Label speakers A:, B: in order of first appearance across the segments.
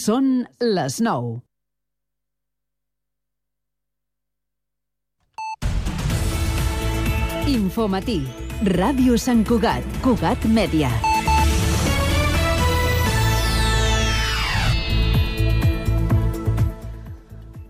A: Són les 9. Infomatí. Ràdio Sant Cugat. Cugat Mèdia.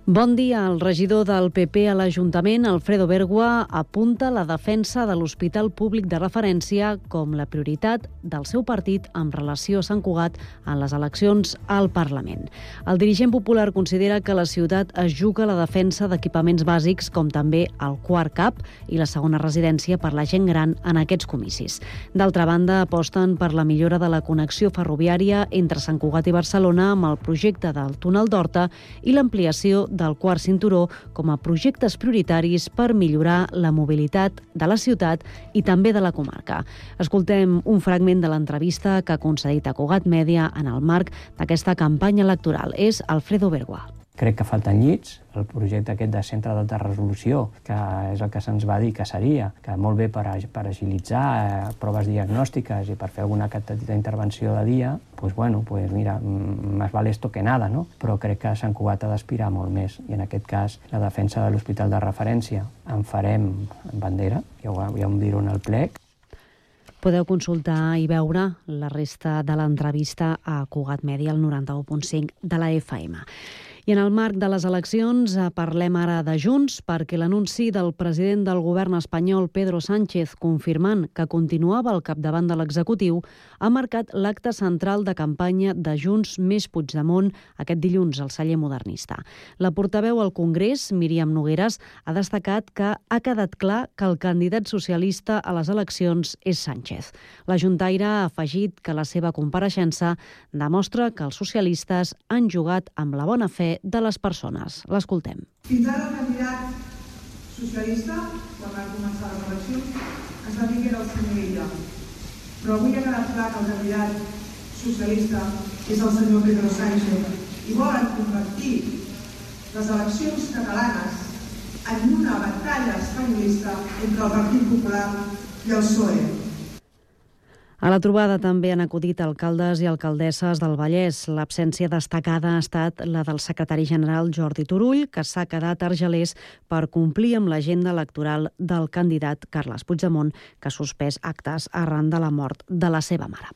A: Bon dia. El regidor del PP a l'Ajuntament, Alfredo Bergua, apunta la defensa de l'Hospital Públic de Referència com la prioritat del seu partit en relació a Sant Cugat en les eleccions al Parlament. El dirigent popular considera que la ciutat es juga la defensa d'equipaments bàsics com també el quart CAP i la segona residència per la gent gran en aquests comicis. D'altra banda, aposten per la millora de la connexió ferroviària entre Sant Cugat i Barcelona amb el projecte del túnel d'Horta i l'ampliació del quart cinturó com a projectes prioritaris per millorar la mobilitat de la ciutat i també de la comarca. Escoltem un fragment de l'entrevista que ha concedit a Cugat Mèdia en el marc d'aquesta campanya electoral. És Alfredo Bergua.
B: Crec que falten llits, el projecte aquest de centre d'alta resolució, que és el que se'ns va dir que seria, que molt bé per agilitzar proves diagnòstiques i per fer alguna petita intervenció de dia, mira, más vale esto que nada, no? Però crec que Sant Cugat ha d'aspirar molt més, i en aquest cas la defensa de l'hospital de referència en farem bandera, ja ho diré en el plec.
A: Podeu consultar i veure la resta de l'entrevista a Cugat Mèdia, al 91.5 de la FM. I en el marc de les eleccions parlem ara de Junts perquè l'anunci del president del govern espanyol, Pedro Sánchez, confirmant que continuava al capdavant de l'executiu, ha marcat l'acte central de campanya de Junts més Puigdemont aquest dilluns al celler modernista. La portaveu al Congrés, Míriam Nogueras, ha destacat que ha quedat clar que el candidat socialista a les eleccions és Sánchez. La juntaire ha afegit que la seva compareixença demostra que els socialistes han jugat amb la bona fe de les persones. L'escoltem.
C: Fins ara el candidat socialista, quan van començar les eleccions, ens va dir que era el senyor Illa. Però avui ha quedat clar que el candidat socialista és el senyor Pedro Sánchez i volen convertir les eleccions catalanes en una batalla espanyolista entre el Partit Popular i el PSOE.
A: A la trobada també han acudit alcaldes i alcaldesses del Vallès. L'absència destacada ha estat la del secretari general Jordi Turull, que s'ha quedat a Argelers per complir amb l'agenda electoral del candidat Carles Puigdemont, que ha suspès actes arran de la mort de la seva mare.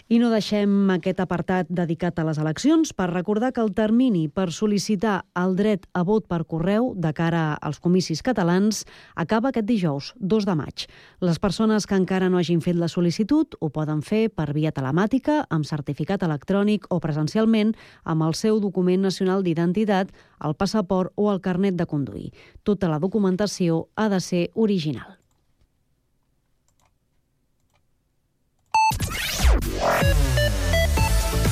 A: I no deixem aquest apartat dedicat a les eleccions per recordar que el termini per sol·licitar el dret a vot per correu de cara als comicis catalans acaba aquest dijous, 2 de maig. Les persones que encara no hagin fet la sol·licitud ho poden fer per via telemàtica, amb certificat electrònic o presencialment amb el seu document nacional d'identitat, el passaport o el carnet de conduir. Tota la documentació ha de ser original.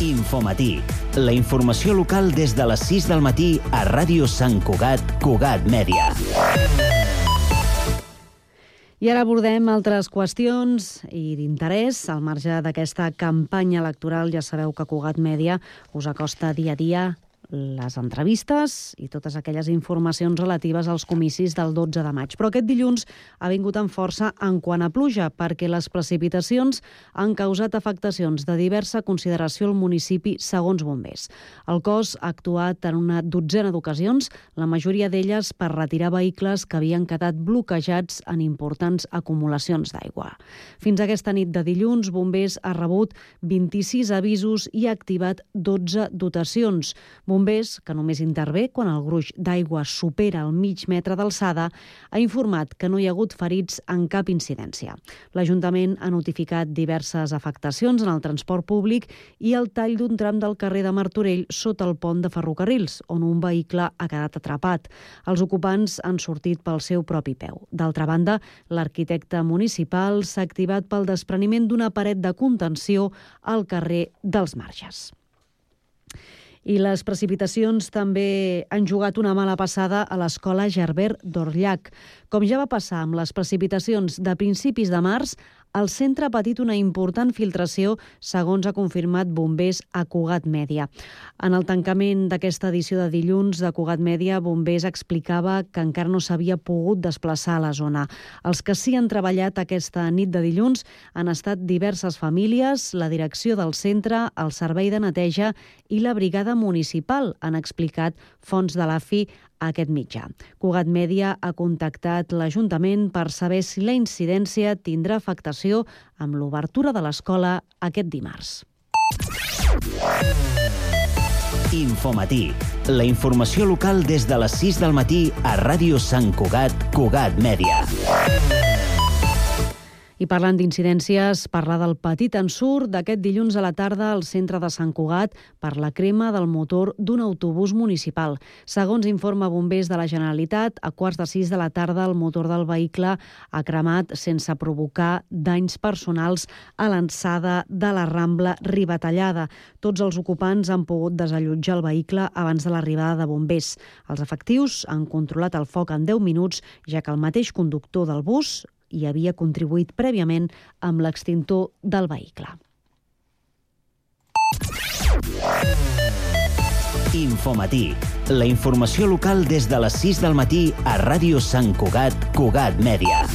D: Infomatí, la informació local des de les 6 del matí a Ràdio Sant Cugat, Cugat Mèdia.
A: I ara abordem altres qüestions i d'interès. Al marge d'aquesta campanya electoral, ja sabeu que Cugat Mèdia us acosta dia a dia les entrevistes i totes aquelles informacions relatives als comicis del 12 de maig. Però aquest dilluns ha vingut amb força en quant a pluja, perquè les precipitacions han causat afectacions de diversa consideració al municipi, segons bombers. El cos ha actuat en una dotzena d'ocasions, la majoria d'elles per retirar vehicles que havien quedat bloquejats en importants acumulacions d'aigua. Fins aquesta nit de dilluns, bombers ha rebut 26 avisos i ha activat 12 dotacions. Bombers, que només intervé quan el gruix d'aigua supera el mig metre d'alçada, ha informat que no hi ha hagut ferits en cap incidència. L'Ajuntament ha notificat diverses afectacions en el transport públic i el tall d'un tram del carrer de Martorell sota el pont de ferrocarrils, on un vehicle ha quedat atrapat. Els ocupants han sortit pel seu propi peu. D'altra banda, l'arquitecte municipal s'ha activat pel despreniment d'una paret de contenció al carrer dels Marges. I les precipitacions també han jugat una mala passada a l'escola Gerbert d'Orllac. Com ja va passar amb les precipitacions de principis de març, el centre ha patit una important filtració, segons ha confirmat bombers a Cugat Mèdia. En el tancament d'aquesta edició de dilluns de Cugat Mèdia, bombers explicava que encara no s'havia pogut desplaçar a la zona. Els que sí han treballat aquesta nit de dilluns han estat diverses famílies, la direcció del centre, el servei de neteja i la brigada municipal, han explicat fonts de l'AFI a aquest mitjà. Cugat Mèdia ha contactat l'Ajuntament per saber si la incidència tindrà afectació amb l'obertura de l'escola aquest dimarts.
D: Infomatí. La informació local des de les 6 del matí a Ràdio Sant Cugat, Cugat Mèdia.
A: I parlant d'incidències, parlar del petit ensurt d'aquest dilluns a la tarda al centre de Sant Cugat per la crema del motor d'un autobús municipal. Segons informa bombers de la Generalitat, a 5:15 de la tarda el motor del vehicle ha cremat sense provocar danys personals a l'alçada de la Rambla Ribatallada. Tots els ocupants han pogut desallotjar el vehicle abans de l'arribada de bombers. Els efectius han controlat el foc en 10 minuts, ja que el mateix conductor del bus hi havia contribuït prèviament amb l'extintor del vehicle.
D: Infomatí. La informació local des de les 6 del matí a Ràdio Sant Cugat, Cugat Mèdia.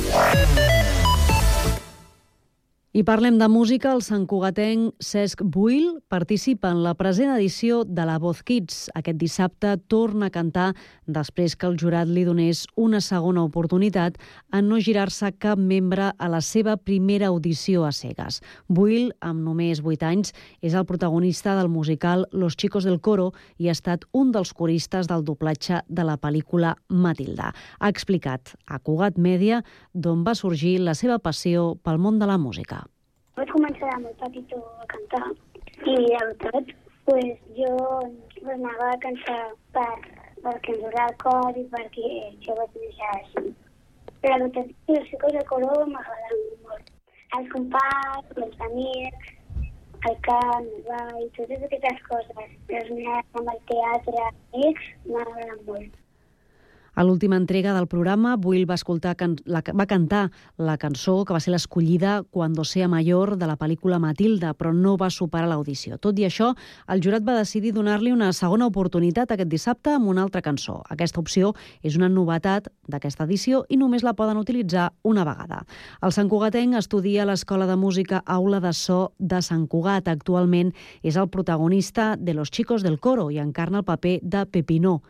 A: I parlem de música. El santcugatenc Cesc Buil participa en la present edició de La Voz Kids. Aquest dissabte torna a cantar després que el jurat li donés una segona oportunitat en no girar-se cap membre a la seva primera audició a cegues. Buil, amb només 8 anys, és el protagonista del musical Los Chicos del Coro i ha estat un dels coristes del doblatge de la pel·lícula Matilda. Ha explicat a Cugat Mèdia d'on va sorgir la seva passió pel món de la música.
E: Vaig començar de molt petitó a cantar i, la veritat, jo anava a cantar perquè ens agrada el cor i perquè jo vaig néixer així. Però la veritat, els Chicos del Coro m'agraden molt. Els companys, els amics, el cant, el ball, totes aquestes coses. Els nens amb el teatre, amics, m'agraden molt.
A: A l'última entrega del programa, Buil va cantar la cançó que va ser l'escollida Cuando sea mayor de la pel·lícula Matilda, però no va superar l'audició. Tot i això, el jurat va decidir donar-li una segona oportunitat aquest dissabte amb una altra cançó. Aquesta opció és una novetat d'aquesta edició i només la poden utilitzar una vegada. El santcugatenc estudia a l'Escola de Música Aula de So de Sant Cugat. Actualment és el protagonista de Los Chicos del Coro i encarna el paper de Pepinó.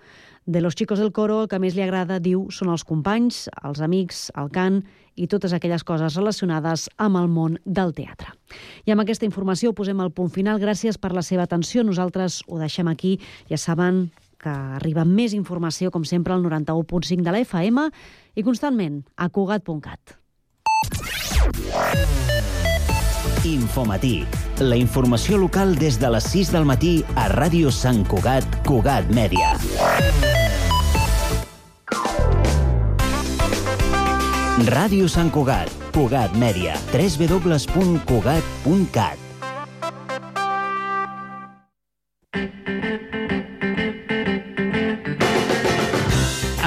A: De Los Chicos del Coro, el que més li agrada, diu, són els companys, els amics, el cant i totes aquelles coses relacionades amb el món del teatre. I amb aquesta informació posem el punt final. Gràcies per la seva atenció. Nosaltres ho deixem aquí. Ja saben que arriba més informació, com sempre, al 91.5 de la FM i constantment a Cugat.cat.
D: Infomatí. La informació local des de les 6 del matí a Ràdio Sant Cugat, Cugat Mèdia. Ràdio Sant Cugat, Cugat Mèdia, www.cugat.cat.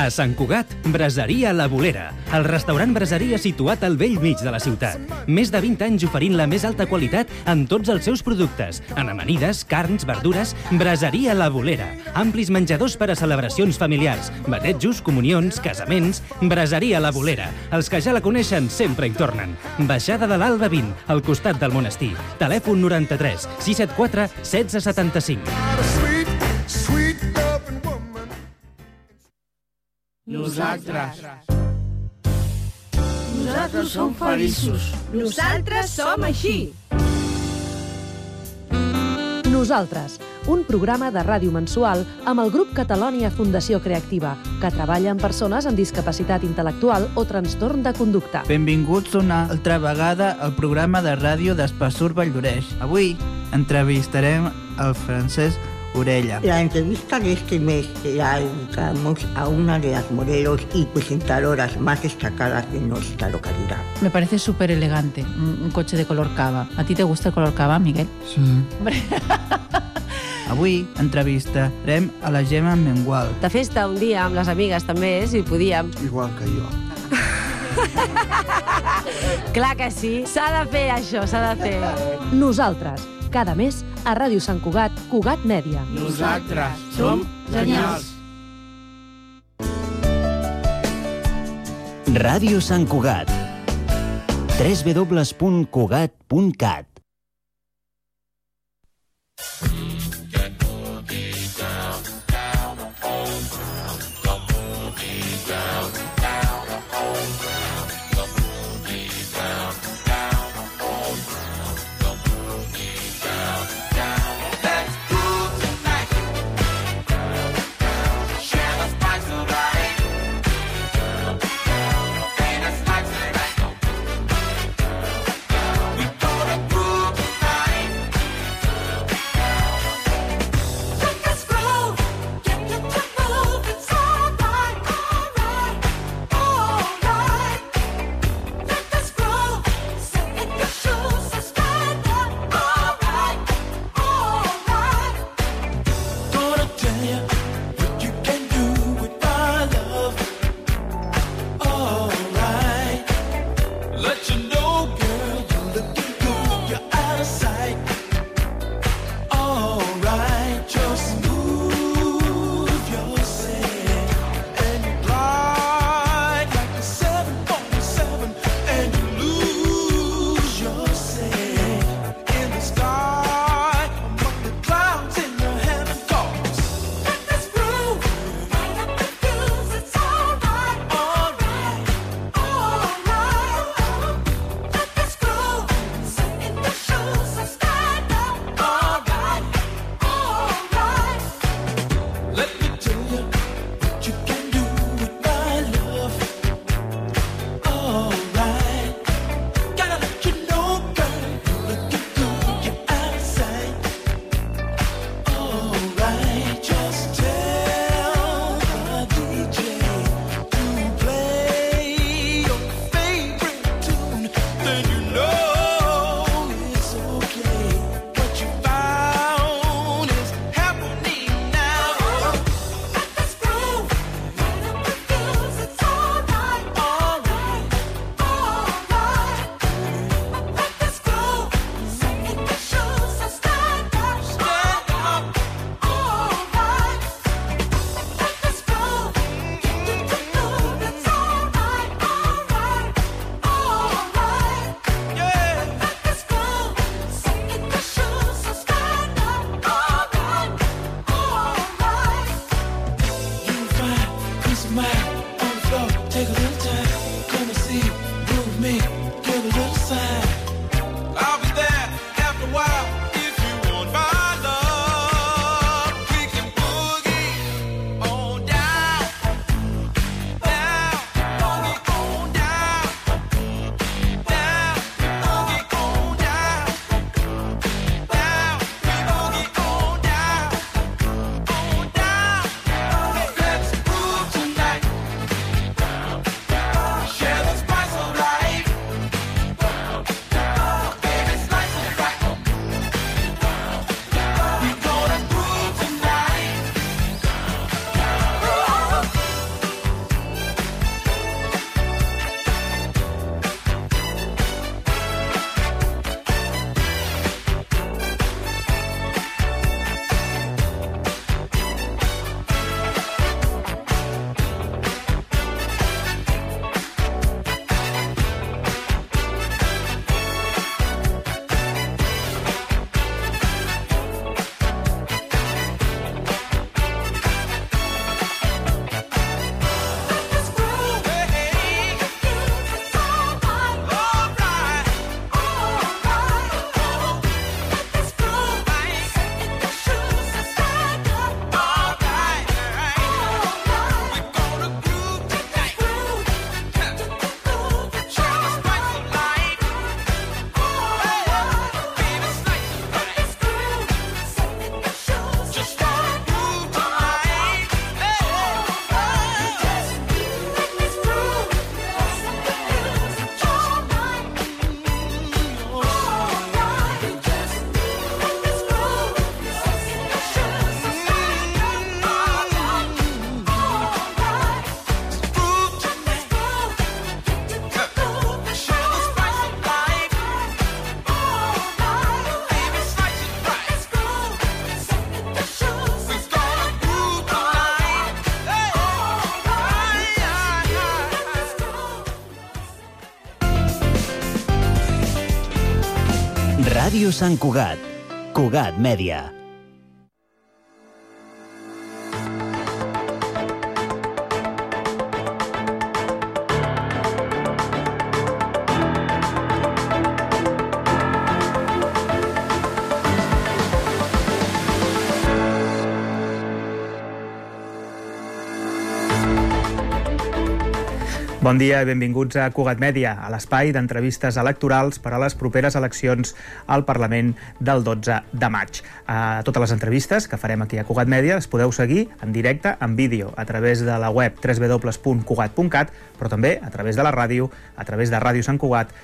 F: A Sant Cugat, Braseria La Bolera, el restaurant braseria situat al vell mig de la ciutat. Més de 20 anys oferint la més alta qualitat en tots els seus productes, en amanides, carns, verdures. Braseria La Bolera, amplis menjadors per a celebracions familiars, batejos, comunions, casaments. Braseria La Bolera, els que ja la coneixen sempre hi tornen. Baixada de l'Alba 20, al costat del monestir. Telèfon 93 674 1675.
G: Nosaltres som feliços. Nosaltres som així.
H: Nosaltres, un programa de ràdio mensual amb el grup Catalònia Fundació Creativa, que treballa amb persones amb discapacitat intel·lectual o trastorn de conducta.
I: Benvinguts una altra vegada al programa de ràdio d'Espassur Valldoreix. Avui entrevistarem el Francesc Orella.
J: La entrevista de este mes la dedicamos a una de las modelos y presentadoras más destacadas de nuestra localidad.
K: Me parece súper elegante, un coche de color cava. ¿A ti te gusta el color cava, Miguel?
J: Sí.
I: Avui entrevistarem a la Gemma Mengual.
L: De festa un dia amb les amigues també, si podíem.
M: Igual que jo.
K: Clar que sí, s'ha de fer això, s'ha de fer.
H: Nosaltres, cada mes, a Ràdio Sant Cugat, Cugat Mèdia.
G: Nosaltres som genials.
D: Ràdio Sant Cugat. www.cugat.cat. Ràdio Sant Cugat. Cugat Mèdia.
L: Bon dia i benvinguts a Cugat Mèdia, a l'espai d'entrevistes electorals per a les properes eleccions al Parlament del 12 de maig. Totes les entrevistes que farem aquí a Cugat Mèdia les podeu seguir en directe, en vídeo, a través de la web www.cugat.cat, però també a través de la ràdio, a través de Ràdio Sant Cugat,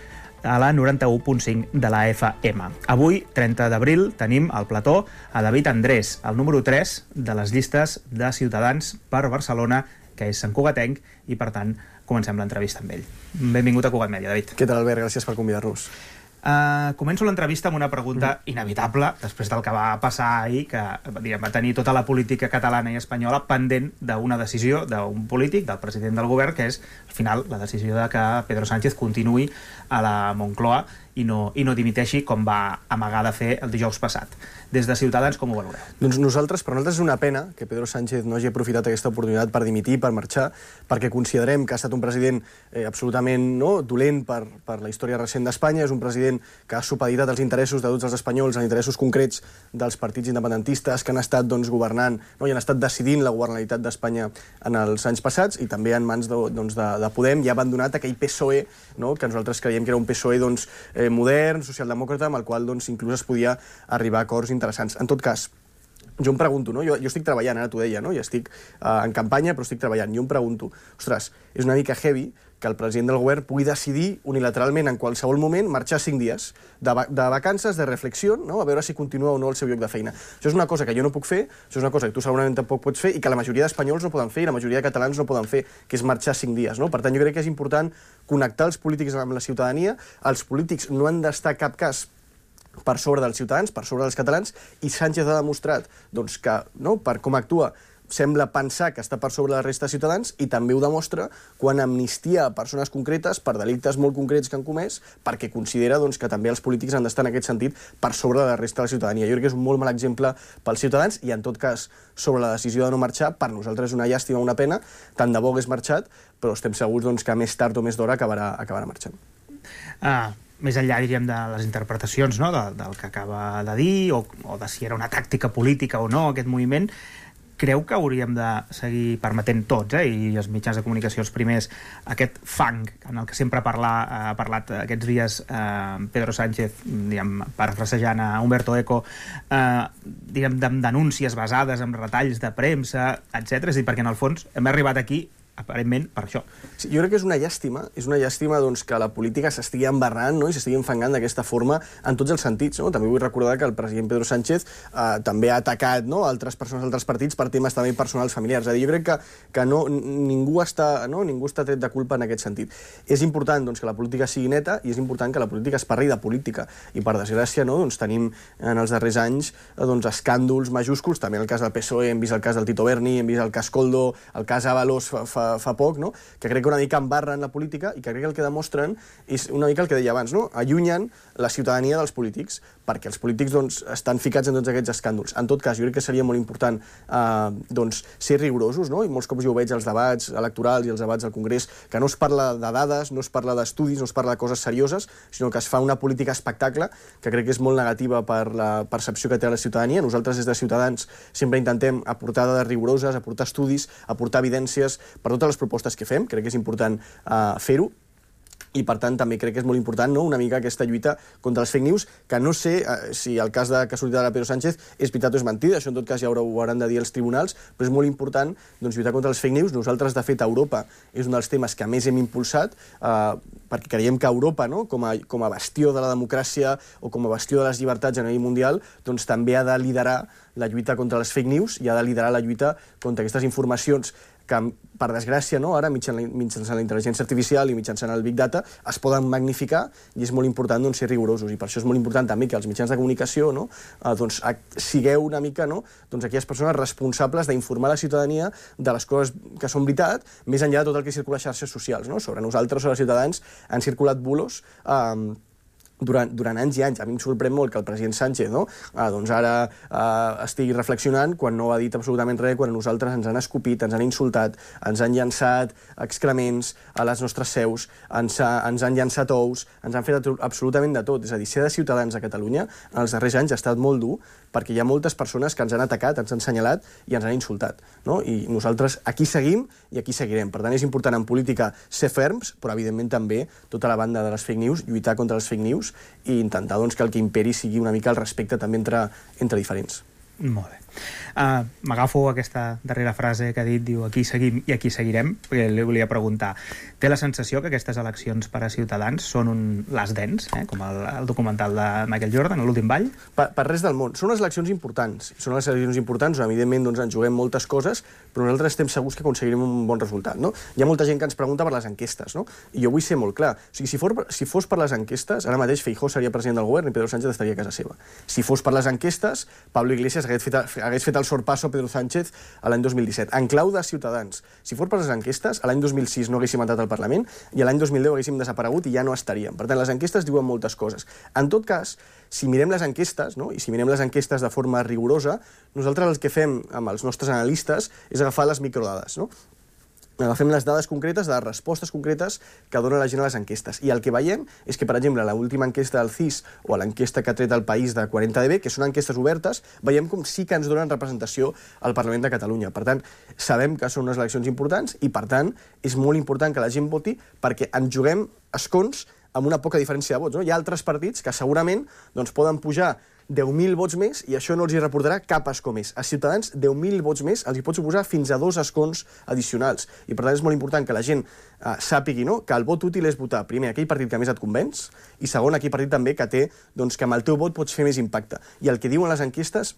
L: a la 91.5 de la FM. Avui, 30 d'abril, tenim al plató a David Andrés, el número 3 de les llistes de Ciutadans per Barcelona, que és santcugatenc, i per tant comencem l'entrevista amb ell. Benvingut a Cugat Mèdia, David.
M: Què tal, Albert? Gràcies per convidar-nos.
L: Començo l'entrevista amb una pregunta inevitable, després del que va passar ahir, que va tenir tota la política catalana i espanyola pendent d'una decisió d'un polític, del president del govern, que és, al final, la decisió de que Pedro Sánchez continuï a la Moncloa i no dimiteixi, com va amagar de fer el dijous passat. Des de Ciutadans, com ho valoreu?
M: Doncs per nosaltres és una pena que Pedro Sánchez no hagi aprofitat aquesta oportunitat per dimitir, per marxar, perquè considerem que ha estat un president absolutament dolent per la història recent d'Espanya, és un president que ha supeditat els interessos de tots els espanyols, els interessos concrets dels partits independentistes que han estat governant i han estat decidint la governabilitat d'Espanya en els anys passats, i també en mans de Podem, i ha abandonat aquell PSOE, que nosaltres creiem que era un PSOE modern, socialdemòcrata, amb el qual inclús es podia arribar a acords interessants. En tot cas, jo em pregunto, jo estic treballant, ara t'ho deia, jo estic en campanya però estic treballant, jo em pregunto, ostres, és una mica heavy que el president del govern pugui decidir unilateralment en qualsevol moment marxar 5 dies de vacances, de reflexió, a veure si continua o no el seu lloc de feina. Això és una cosa que jo no puc fer, això és una cosa que tu segurament tampoc pots fer i que la majoria d'espanyols no poden fer i la majoria de catalans no poden fer, que és marxar 5 dies. Per tant, jo crec que és important connectar els polítics amb la ciutadania. Els polítics no han d'estar a cap cas per sobre dels ciutadans, per sobre dels catalans, i Sánchez ha demostrat que, per com actua, sembla pensar que està per sobre la resta de ciutadans, i també ho demostra quan amnistia a persones concretes per delictes molt concrets que han comès, perquè considera que també els polítics han d'estar en aquest sentit per sobre de la resta de la ciutadania. Jo crec que és un molt mal exemple pels ciutadans, i en tot cas, sobre la decisió de no marxar, per nosaltres és una llàstima, una pena, tant de bo hagués marxat, però estem segurs que més tard o més d'hora acabarà marxant.
L: Més enllà, diríem, de les interpretacions del que acaba de dir, o de si era una tàctica política o no, aquest moviment, creu que hauríem de seguir permetent tots, i els mitjans de comunicació els primers, aquest fang en el que sempre ha parlat aquests dies Pedro Sánchez, parafrasejant a Umberto Eco, de denúncies basades en retalls de premsa, etc. És a dir, perquè en el fons hem arribat aquí aparentment per això.
M: Sí, jo crec que és una llàstima que la política s'estigui embarrant i s'estigui enfangant d'aquesta forma en tots els sentits. També vull recordar que el president Pedro Sánchez també ha atacat altres persones, altres partits, per temes també personals, familiars. Jo crec que ningú està tret de culpa en aquest sentit. És important que la política sigui neta, i és important que la política es parli de política. I per desgràcia tenim en els darrers anys escàndols majúsculs, també en el cas del PSOE, hem vist el cas del Tito Berni, hem vist el cas Koldo, el cas Ábalos fa poc, que crec que una mica embarren la política, i que crec que el que demostren és una mica el que deia abans, allunyen la ciutadania dels polítics, perquè els polítics estan ficats en tots aquests escàndols. En tot cas, jo crec que seria molt important ser rigorosos, i molts cops jo ho veig als debats electorals i als debats al Congrés, que no es parla de dades, no es parla d'estudis, no es parla de coses serioses, sinó que es fa una política espectacle, que crec que és molt negativa per la percepció que té la ciutadania. Nosaltres, des de Ciutadans, sempre intentem aportar dades rigoroses, aportar estudis, aportar evidències per totes les propostes que fem. Crec que és important fer-ho, i per tant també crec que és molt important una mica aquesta lluita contra els fake news, que no sé si el cas que ha sortit ara Pedro Sánchez és veritat o és mentida, això en tot cas ja ho hauran de dir els tribunals, però és molt important lluitar contra els fake news. Nosaltres, de fet, a Europa és un dels temes que més hem impulsat, perquè creiem que Europa, com a bastió de la democràcia o com a bastió de les llibertats a nivell mundial, també ha de liderar la lluita contra les fake news i ha de liderar la lluita contra aquestes informacions que, per desgràcia, ara mitjançant la intel·ligència artificial i mitjançant el Big Data es poden magnificar, i és molt important ser rigorosos, i per això és molt important també que els mitjans de comunicació sigueu una mica aquelles persones responsables d'informar la ciutadania de les coses que són veritat, més enllà de tot el que circula a xarxes socials. Sobre nosaltres, sobre els ciutadans, han circulat bulos durant anys i anys. A mi em sorprèn molt que el president Sánchez doncs ara estigui reflexionant quan no ha dit absolutament res, quan a nosaltres ens han escopit, ens han insultat, ens han llançat excrements a les nostres seus, ens han llançat ous, ens han fet absolutament de tot. És a dir, ser de Ciutadans a Catalunya en els darrers anys ha estat molt dur perquè hi ha moltes persones que ens han atacat, ens han assenyalat i ens han insultat. I nosaltres aquí seguim i aquí seguirem. Per tant, és important en política ser ferms, però evidentment també tota la banda de les fake news, lluitar contra les fake news i intentar que el que imperi sigui una mica el respecte també entre diferents.
L: Molt bé. M'agafo aquesta darrera frase que ha dit, diu aquí seguim i aquí seguirem, perquè li volia preguntar, té la sensació que aquestes eleccions per a Ciutadans són un last dance, com el documental de Michael Jordan, l'últim ball?
M: Per res del món. Són unes eleccions importants. Són unes eleccions importants on evidentment ens juguem moltes coses, però nosaltres estem segurs que aconseguirem un bon resultat. Hi ha molta gent que ens pregunta per les enquestes, i jo vull ser molt clar. O sigui, si fos per les enquestes, ara mateix Feijóo seria president del govern i Pedro Sánchez estaria a casa seva. Si fos per les enquestes, Pablo Iglesias hagués fet el sorpasso a Pedro Sánchez l'any 2017. En clau de Ciutadans, si fos per les enquestes, l'any 2006 no haguéssim entrat al Parlament i l'any 2010 haguéssim desaparegut i ja no estaríem. Per tant, les enquestes diuen moltes coses. En tot cas, si mirem les enquestes, i si mirem les enquestes de forma rigorosa, nosaltres el que fem amb els nostres analistes és agafar les microdades, agafem les dades concretes de les respostes concretes que dona la gent a les enquestes. I el que veiem és que, per exemple, a l'última enquesta del CIS o a l'enquesta que ha tret el País de 40DB, que són enquestes obertes, veiem com sí que ens donen representació al Parlament de Catalunya. Per tant, sabem que són unes eleccions importants i, per tant, és molt important que la gent voti perquè ens juguem escons amb una poca diferència de vots. Hi ha altres partits que segurament poden pujar 10.000 vots més i això no els hi reportarà cap escó més. A Ciutadans, 10.000 vots més els hi pot suposar fins a 2 escons addicionals. I per tant és molt important que la gent sàpigui que el vot útil és votar primer aquell partit que més et convenç i segon aquell partit també que té que amb el teu vot pots fer més impacte. I el que diuen les enquestes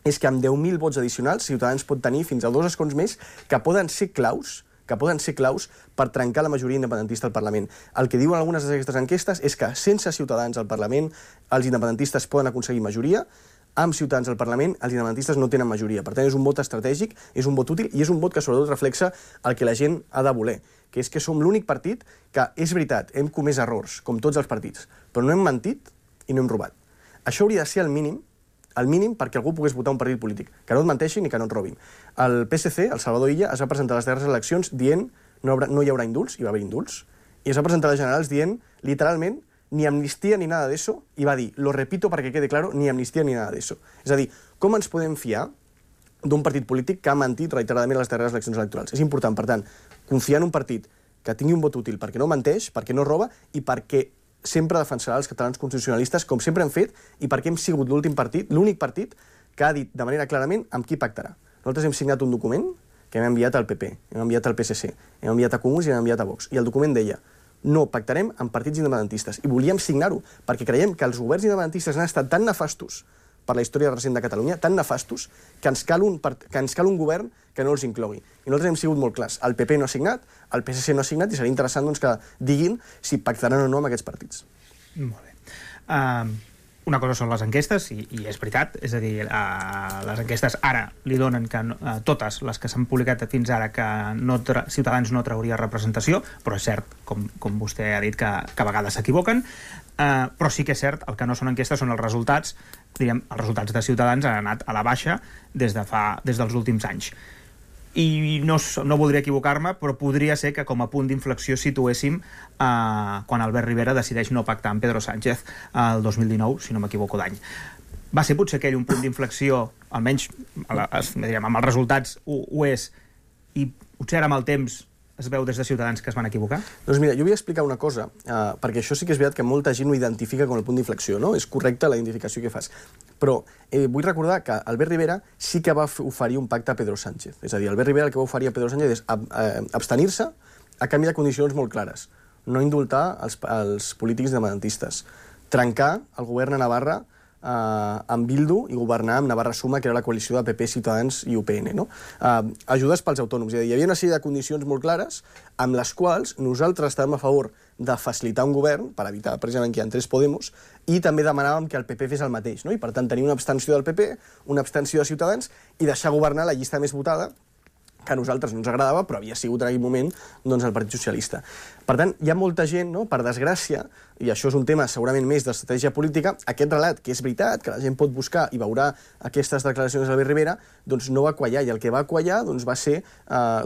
M: és que amb 10.000 vots addicionals Ciutadans pot tenir fins a 2 escons més que poden ser claus per trencar la majoria independentista al Parlament. El que diuen algunes d'aquestes enquestes és que sense Ciutadans al Parlament els independentistes poden aconseguir majoria, amb Ciutadans al Parlament els independentistes no tenen majoria. Per tant, és un vot estratègic, és un vot útil i és un vot que sobretot reflexa el que la gent ha de voler, que és que som l'únic partit que, és veritat, hem comès errors, com tots els partits, però no hem mentit i no hem robat. Això hauria de ser el mínim perquè algú pogués votar un partit polític, que no et menteixin i que no et robin. El PSC, el Salvador Illa, es va presentar a les darreres eleccions dient no hi haurà indults, i va haver indults, i es va presentar a les generals dient, literalment, ni amnistia ni nada de eso, i va dir, lo repito perquè quede claro, ni amnistia ni nada de eso. És a dir, com ens podem fiar d'un partit polític que ha mentit reiteradament a les darreres eleccions electorals? És important, per tant, confiar en un partit que tingui un vot útil perquè no menteix, perquè no roba i perquè sempre defensarà els catalans constitucionalistes, com sempre hem fet, i perquè hem sigut l'únic partit que ha dit de manera clarament amb qui pactarà. Nosaltres hem signat un document que hem enviat al PP, hem enviat al PSC, hem enviat a Comuns i hem enviat a Vox. I el document deia, no pactarem amb partits independentistes. I volíem signar-ho, perquè creiem que els governs independentistes han estat tan nefastos per la història recent de Catalunya, tan nefastos, que ens cal un govern que no els inclogui. I nosaltres hem sigut molt clars. El PP no ha signat, el PSC no ha signat, i seria interessant que diguin si pactaran o no amb aquests partits.
L: Molt bé. Una cosa són les enquestes, i és veritat, és a dir, les enquestes ara li donen que totes les que s'han publicat fins ara que Ciutadans no trauria representació, però és cert, com vostè ha dit, que a vegades s'equivoquen, però sí que és cert, el que no són enquestes són els resultats, diríem, els resultats de Ciutadans han anat a la baixa des dels últims anys. I no voldria equivocar-me, però podria ser que com a punt d'inflexió situéssim quan Albert Rivera decideix no pactar amb Pedro Sánchez el 2019, si no m'equivoco d'any. Va ser potser aquell un punt d'inflexió, almenys amb els resultats ho és, i potser ara amb el temps es veu des de Ciutadans que es van equivocar?
M: Doncs mira, jo vull explicar una cosa, perquè això sí que és veritat que molta gent ho identifica com el punt d'inflexió, no? És correcta la identificació que fas. Però vull recordar que Albert Rivera sí que va oferir un pacte a Pedro Sánchez. És a dir, Albert Rivera el que va oferir a Pedro Sánchez és abstenir-se a canvi de condicions molt clares. No indultar els polítics independentistes. Trencar el govern a Navarra amb Bildu i governar amb Navarra Suma, que era la coalició de PP, Ciutadans i UPN. Ajudes pels autònoms. Hi havia una sèrie de condicions molt clares amb les quals nosaltres estàvem a favor de facilitar un govern, per evitar precisament que hi entrés Podemos, i també demanàvem que el PP fes el mateix. I per tant tenir una abstenció del PP, una abstenció de Ciutadans i deixar governar la llista més votada, que a nosaltres no ens agradava, però havia sigut en aquell moment doncs, el Partit Socialista. Per tant, hi ha molta gent, no? Per desgràcia, i això és un tema segurament més d'estratègia política, aquest relat, que és veritat, que la gent pot buscar i veurà aquestes declaracions d'Albert Rivera, doncs no va quallar, i el que va quallar doncs, va ser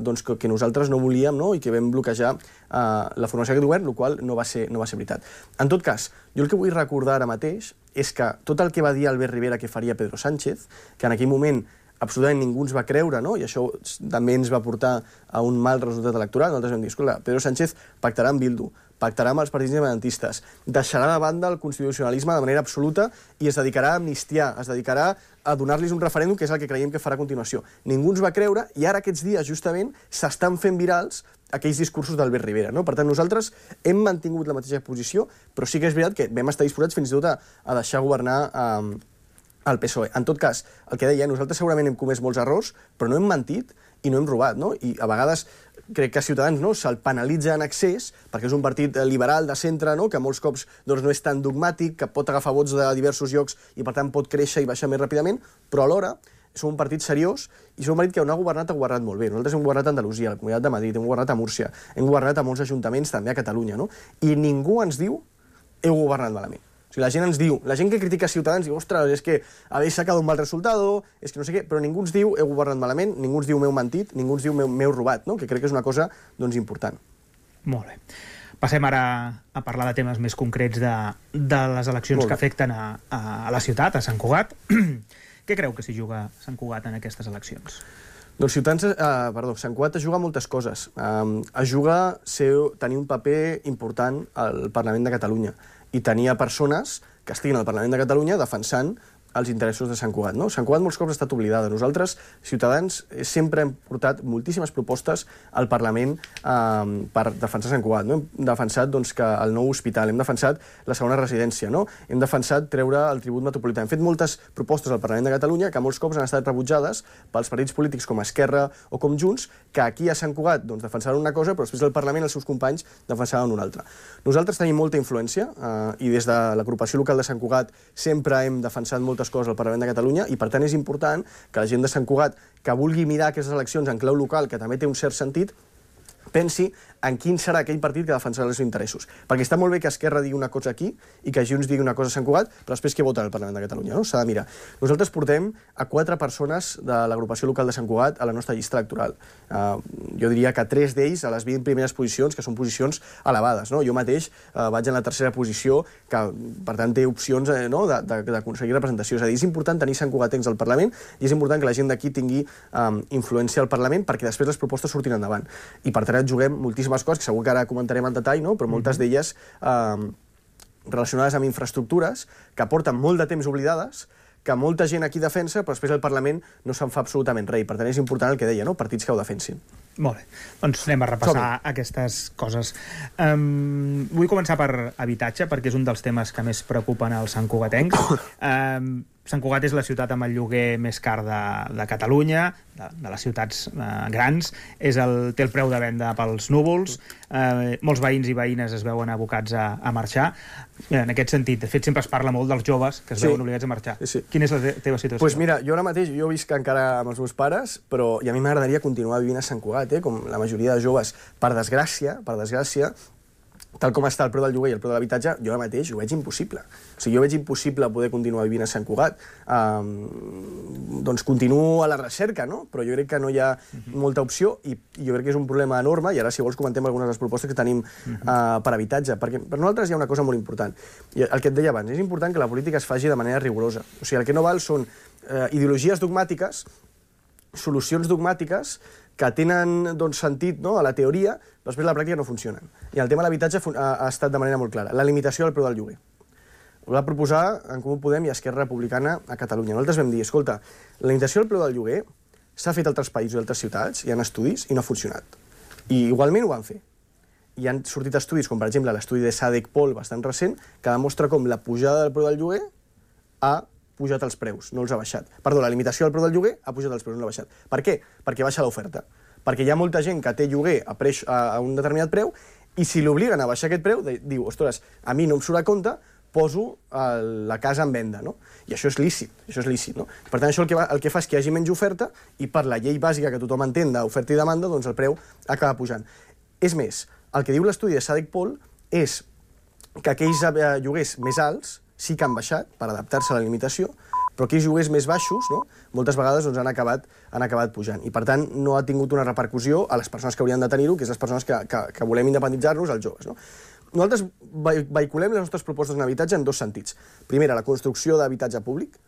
M: doncs, que nosaltres no volíem, no? I que vam bloquejar la formació d'aquest govern, el qual no va ser veritat. En tot cas, jo el que vull recordar ara mateix és que tot el que va dir Albert Rivera que faria Pedro Sánchez, que en aquell moment absolutament ningú ens va creure, no? I això també ens va portar a un mal resultat electoral. Nosaltres vam dir, escolta, Pedro Sánchez pactarà amb Bildu, pactarà amb els partits independentistes, deixarà de banda el constitucionalisme de manera absoluta i es dedicarà a amnistiar, es dedicarà a donar-los un referèndum, que és el que creiem que farà a continuació. Ningú ens va creure i ara aquests dies, justament, s'estan fent virals aquells discursos d'Albert Rivera, no? Per tant, nosaltres hem mantingut la mateixa posició, però sí que és veritat que vam estar disposats fins i tot a deixar governar al PSOE. En tot cas, el que deia, nosaltres segurament hem comès molts errors, però no hem mentit i no hem robat, no? I a vegades crec que Ciutadans no, se'l penalitza en excés, perquè és un partit liberal de centre, no? Que molts cops doncs, no és tan dogmàtic, que pot agafar vots de diversos llocs i per tant pot créixer i baixar més ràpidament, però alhora som un partit seriós i som un partit que on ha governat molt bé. Nosaltres hem governat a Andalusia, a la Comunitat de Madrid, hem governat a Múrcia, hem governat a molts ajuntaments també a Catalunya, no? I ningú ens diu heu governat malament. O sigui, la gent ens diu, la gent que critica Ciutadans diu, ostres, és que habéis sacado un mal resultado, és que no sé què, però ningú ens diu heu governat malament, ningú ens diu m'heu mentit, ningú ens diu m'heu robat, no? Que crec que és una cosa doncs, important.
L: Molt bé. Passem ara a parlar de temes més concrets de les eleccions que afecten a la ciutat, a Sant Cugat. Què creu que s'hi juga Sant Cugat en aquestes eleccions?
M: Doncs Sant Cugat es juga moltes coses. Es juga tenir un paper important al Parlament de Catalunya i tenia persones que estiguin al Parlament de Catalunya defensant els interessos de Sant Cugat. No? Sant Cugat molts cops ha estat oblidada. Nosaltres, Ciutadans, sempre hem portat moltíssimes propostes al Parlament per defensar Sant Cugat. No? Hem defensat doncs, que el nou hospital, hem defensat la segona residència, no? Hem defensat treure el tribut metropolità. Hem fet moltes propostes al Parlament de Catalunya que molts cops han estat rebutjades pels partits polítics com Esquerra o com Junts, que aquí a Sant Cugat doncs, defensaven una cosa, però després al Parlament els seus companys defensaven una altra. Nosaltres tenim molta influència i des de l'agrupació local de Sant Cugat sempre hem defensat moltes coses al Parlament de Catalunya i, per tant, és important que la gent de Sant Cugat que vulgui mirar aquestes eleccions en clau local, que també té un cert sentit, pensi en quin serà aquell partit que defensarà els seus interessos. Perquè està molt bé que Esquerra digui una cosa aquí i que Junts digui una cosa a Sant Cugat, però després què voten al Parlament de Catalunya, no? S'ha de mirar. Nosaltres portem a 4 persones de l'agrupació local de Sant Cugat a la nostra llista electoral. Jo diria que 3 d'ells a les 20 primeres posicions, que són posicions elevades, no? Jo mateix vaig en la tercera posició, que per tant té opcions no? d'aconseguir representació. És a dir, és important tenir Sant Cugatencs al Parlament i és important que la gent d'aquí tingui influència al Parlament perquè després les propostes surtin endavant. I per tant juguem moltíssimes coses, que segur que ara comentarem en detall, no? Però moltes d'elles relacionades amb infraestructures que porten molt de temps oblidades, que molta gent aquí defensa, però després el Parlament no se'n fa absolutament res. Per tant, és important el que deia, no? Partits que ho defensin.
L: Molt bé. Doncs anem a repassar aquestes coses. Vull començar per habitatge, perquè és un dels temes que més preocupen els santcugatencs. Sant Cugat és la ciutat amb el lloguer més car de Catalunya, de les ciutats grans. Té el preu de venda pels núvols. Molts veïns i veïnes es veuen abocats a marxar. En aquest sentit, de fet, sempre es parla molt dels joves que es veuen obligats a marxar. Quina és la teva situació?
M: Doncs mira, jo ara mateix visc encara amb els meus pares, però i a mi m'agradaria continuar vivint a Sant Cugat, com la majoria de joves. Per desgràcia, tal com està el preu del lloguer i el preu de l'habitatge, jo ara mateix ho veig impossible. O sigui, jo veig impossible poder continuar vivint a Sant Cugat. Doncs continuo a la recerca, no? Però jo crec que no hi ha molta opció i jo crec que és un problema enorme i ara, si vols, comentem algunes de les propostes que tenim per habitatge. Perquè per nosaltres hi ha una cosa molt important. I el que et deia abans, és important que la política es faci de manera rigorosa. O sigui, el que no val són ideologies dogmàtiques, solucions dogmàtiques que tenen doncs, sentit a la teoria, però després a la pràctica no funcionen. I el tema de l'habitatge ha estat de manera molt clara. La limitació del preu del lloguer. Ho va proposar en Comú Podem i Esquerra Republicana a Catalunya. Nosaltres vam dir, escolta, la limitació del preu del lloguer s'ha fet a altres països i altres ciutats, hi ha estudis i no ha funcionat. I igualment ho van fer. I han sortit estudis, com per exemple l'estudi de Sadek-Pol, bastant recent, que demostra com la pujada del preu del lloguer ha pujat els preus, no els ha baixat. Perdó, la limitació del preu del lloguer ha pujat els preus, no l'ha baixat. Per què? Perquè baixa l'oferta. Perquè hi ha molta gent que té lloguer a un determinat preu i si l'obliguen a baixar aquest preu, diu, ostres, a mi no em surt a compte, poso la casa en venda, no? I això és lícit, no? Per tant, això el que fa és que hi hagi menys oferta i per la llei bàsica que tothom entén d'oferta i demanda, doncs el preu acaba pujant. És més, el que diu l'estudi de Sadek-Pol és que aquells lloguers més alts sí que han baixat per adaptar-se a la limitació, però aquells lloguers més baixos, no? Moltes vegades doncs, han acabat pujant. I, per tant, no ha tingut una repercussió a les persones que haurien de tenir-ho, que és les persones que volem independitzar-nos, els joves, no? Nosaltres vehiculem les nostres propostes en habitatge en dos sentits. Primera, la construcció d'habitatge públic.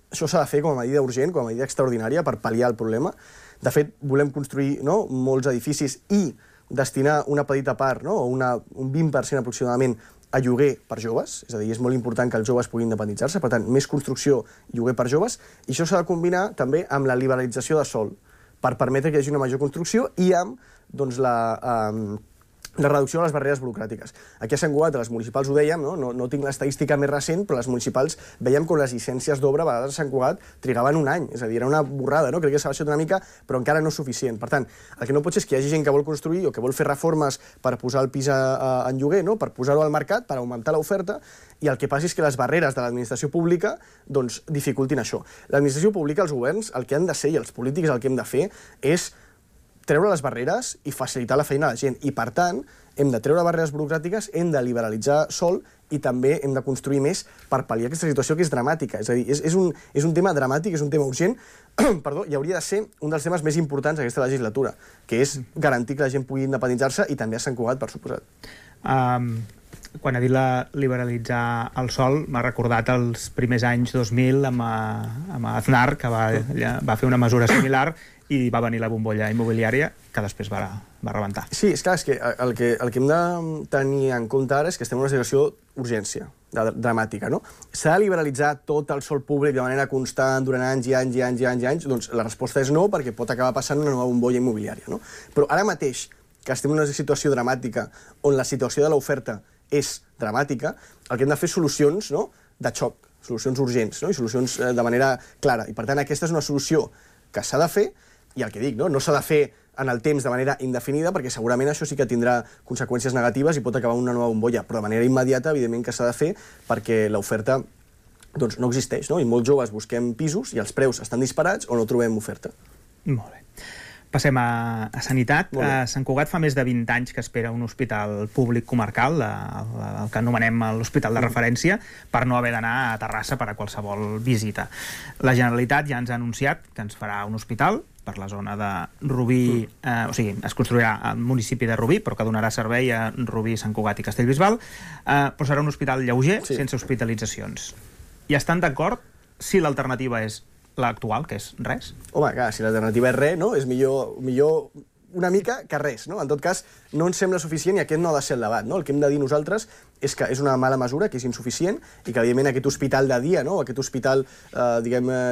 M: Això s'ha de fer com a medida urgent, com a medida extraordinària per pal·liar el problema. De fet, volem construir molts edificis i destinar una petita part, o un 20% aproximadament, a lloguer per joves. És a dir, és molt important que els joves puguin independitzar-se. Per tant, més construcció i lloguer per joves. I això s'ha de combinar també amb la liberalització de sòl per permetre que hi hagi una major construcció i amb la reducció de les barreres burocràtiques. Aquí a Sant Cugat, a les municipals ho dèiem, no tinc l'estadística més recent, però les municipals veiem com les llicències d'obra a vegades a Sant Cugat trigaven un any, és a dir, era una borrada, no? Crec que s'ha baixat una mica, però encara no és suficient. Per tant, el que no pot ser és que hi hagi gent que vol construir o que vol fer reformes per posar el pis en lloguer, per posar-ho al mercat, per augmentar l'oferta, i el que passi és que les barreres de l'administració pública dificultin això. L'administració pública, els governs, el que han de ser, i els polítics el que hem de fer, és treure les barreres i facilitar la feina a la gent. I, per tant, hem de treure barreres burocràtiques, hem de liberalitzar sòl i també hem de construir més per pal·liar aquesta situació que és dramàtica. És a dir, és un tema dramàtic, és un tema urgent, i hauria de ser un dels temes més importants d'aquesta legislatura, que és garantir que la gent pugui independitzar-se i també a Sant Cugat, per suposat.
L: Quan ha dit liberalitzar el sòl, m'ha recordat els primers anys 2000 amb Aznar, que va fer una mesura similar i va venir la bombolla immobiliària, que després va rebentar.
M: Sí, és clar, és que el que hem de tenir en compte ara és que estem en una situació d'urgència, dramàtica, no? S'ha de liberalitzar tot el sòl públic de manera constant durant anys i anys i anys i anys i anys? Doncs la resposta és no, perquè pot acabar passant una nova bombolla immobiliària, no? Però ara mateix, que estem en una situació dramàtica, on la situació de l'oferta és dramàtica, el que hem de fer és solucions de xoc, solucions urgents, i solucions de manera clara. I, per tant, aquesta és una solució que s'ha de fer, i el que dic, no s'ha de fer en el temps de manera indefinida, perquè segurament això sí que tindrà conseqüències negatives i pot acabar una nova bombolla, però de manera immediata, evidentment que s'ha de fer, perquè l'oferta no existeix, i molts joves busquem pisos i els preus estan disparats o no trobem oferta.
L: Molt bé. Passem a sanitat. A Sant Cugat fa més de 20 anys que espera un hospital públic comarcal, el que anomenem l'hospital de referència, per no haver d'anar a Terrassa per a qualsevol visita. La Generalitat ja ens ha anunciat que ens farà un hospital per la zona de Rubí, o sigui, es construirà al municipi de Rubí, però que donarà servei a Rubí, Sant Cugat i Castellbisbal, però serà un hospital lleuger, sense hospitalitzacions. I estan d'acord si l'alternativa és l'actual, que és res?
M: Home, clar, si l'alternativa és res, és millor una mica que res, no? En tot cas, no ens sembla suficient i aquest no ha de ser el debat, no? El que hem de dir nosaltres és que és una mala mesura, que és insuficient i que, evidentment, aquest hospital de dia, aquest hospital,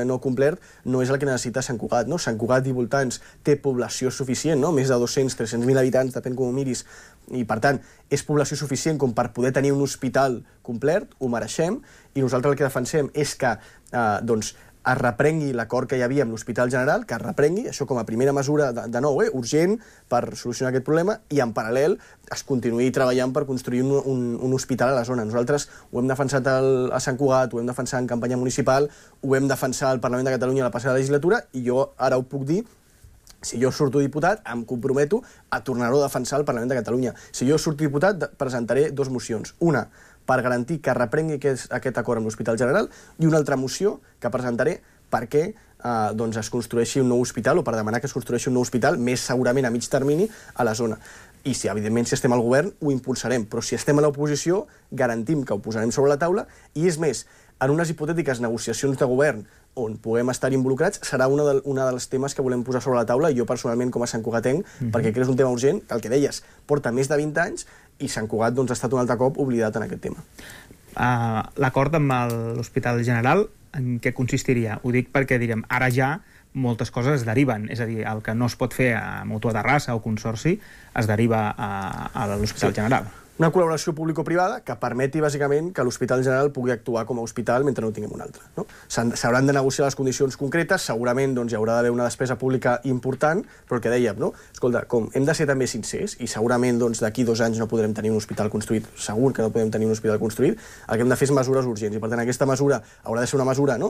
M: no complet, no és el que necessita Sant Cugat, no? Sant Cugat i voltants té població suficient, no? Més de 200-300.000 habitants, depèn com ho miris, i, per tant, és població suficient com per poder tenir un hospital complet, ho mereixem, i nosaltres el que defensem és que, es reprengui l'acord que hi havia amb l'Hospital General, que es reprengui, això com a primera mesura de nou, urgent, per solucionar aquest problema, i en paral·lel es continuï treballant per construir un hospital a la zona. Nosaltres ho hem defensat a Sant Cugat, ho hem defensat en campanya municipal, ho hem defensat al Parlament de Catalunya a la passada legislatura, i jo ara ho puc dir, si jo surto diputat, em comprometo a tornar-ho a defensar al Parlament de Catalunya. Si jo surto diputat, presentaré 2 mocions. Una, per garantir que reprengui aquest acord amb l'Hospital General, i una altra moció que presentaré perquè es construeixi un nou hospital, o per demanar que es construeixi un nou hospital, més segurament a mig termini, a la zona. I si, evidentment, si estem al govern, ho impulsarem, però si estem a l'oposició, garantim que ho posarem sobre la taula, i és més, en unes hipotètiques negociacions de govern on puguem estar involucrats, serà un dels temes que volem posar sobre la taula, i jo personalment com a santcugatenc, perquè crec que és un tema urgent, que el que deies, porta més de 20 anys, i Sant Cugat ha estat un altre cop oblidat en aquest tema.
L: L'acord amb l'Hospital General, en què consistiria? Ho dic perquè, direm, ara ja moltes coses es deriven. És a dir, el que no es pot fer a Mútua de Rassa o Consorci es deriva a l'Hospital General.
M: Una col·laboració público-privada que permeti, bàsicament, que l'Hospital General pugui actuar com a hospital mentre no tinguem un altre. No? S'hauran de negociar les condicions concretes, segurament doncs, hi haurà d'haver una despesa pública important, però el que dèiem, no? Escolta, com hem de ser també sincers, i segurament doncs, d'aquí 2 anys no podrem tenir un hospital construït, segur que no podem tenir un hospital construït, el que hem de fer és mesures urgents, i per tant aquesta mesura haurà de ser una mesura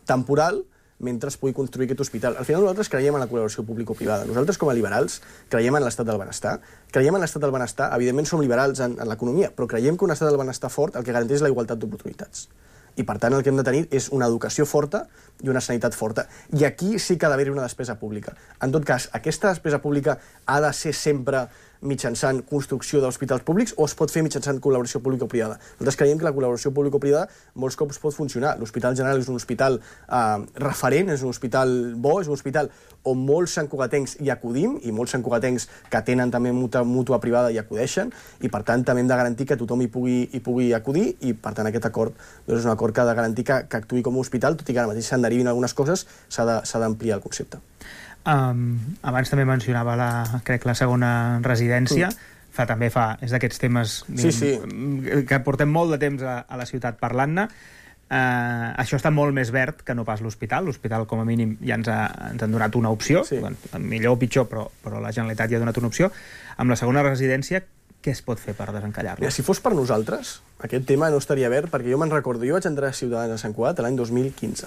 M: temporal, mentre es pugui construir aquest hospital. Al final nosaltres creiem en la col·laboració público-privada. Nosaltres, com a liberals, creiem en l'estat del benestar. Creiem en l'estat del benestar. Evidentment, som liberals en l'economia, però creiem que un estat del benestar fort el que garanteix la igualtat d'oportunitats. I, per tant, el que hem de tenir és una educació forta i una sanitat forta. I aquí sí que ha d'haver-hi una despesa pública. En tot cas, aquesta despesa pública ha de ser sempre mitjançant construcció d'hospitals públics o es pot fer mitjançant col·laboració público-privada. Nosaltres creiem que la col·laboració público-privada molts cops pot funcionar. L'Hospital General és un hospital referent, és un hospital bo, és un hospital on molts santcugatencs hi acudim i molts santcugatencs que tenen també mútua privada hi acudeixen i per tant també hem de garantir que tothom hi pugui acudir i per tant aquest acord doncs, és un acord que ha de garantir que actuï com a hospital, tot i que ara mateix se'n derivin algunes coses, s'ha d'ampliar el concepte.
L: Abans també mencionava la segona residència, és d'aquests temes que portem molt de temps a la ciutat parlant-ne. Això està molt més verd que no pas l'hospital. L'hospital, com a mínim, ja ens han donat una opció, millor o pitjor, però la Generalitat ja ha donat una opció. Amb la segona residència, què es pot fer per desencallar-la?
M: Si fos per nosaltres, aquest tema no estaria verd, perquè jo me'n recordo, jo vaig entrar a Ciutadans a Sant Cugat l'any 2015.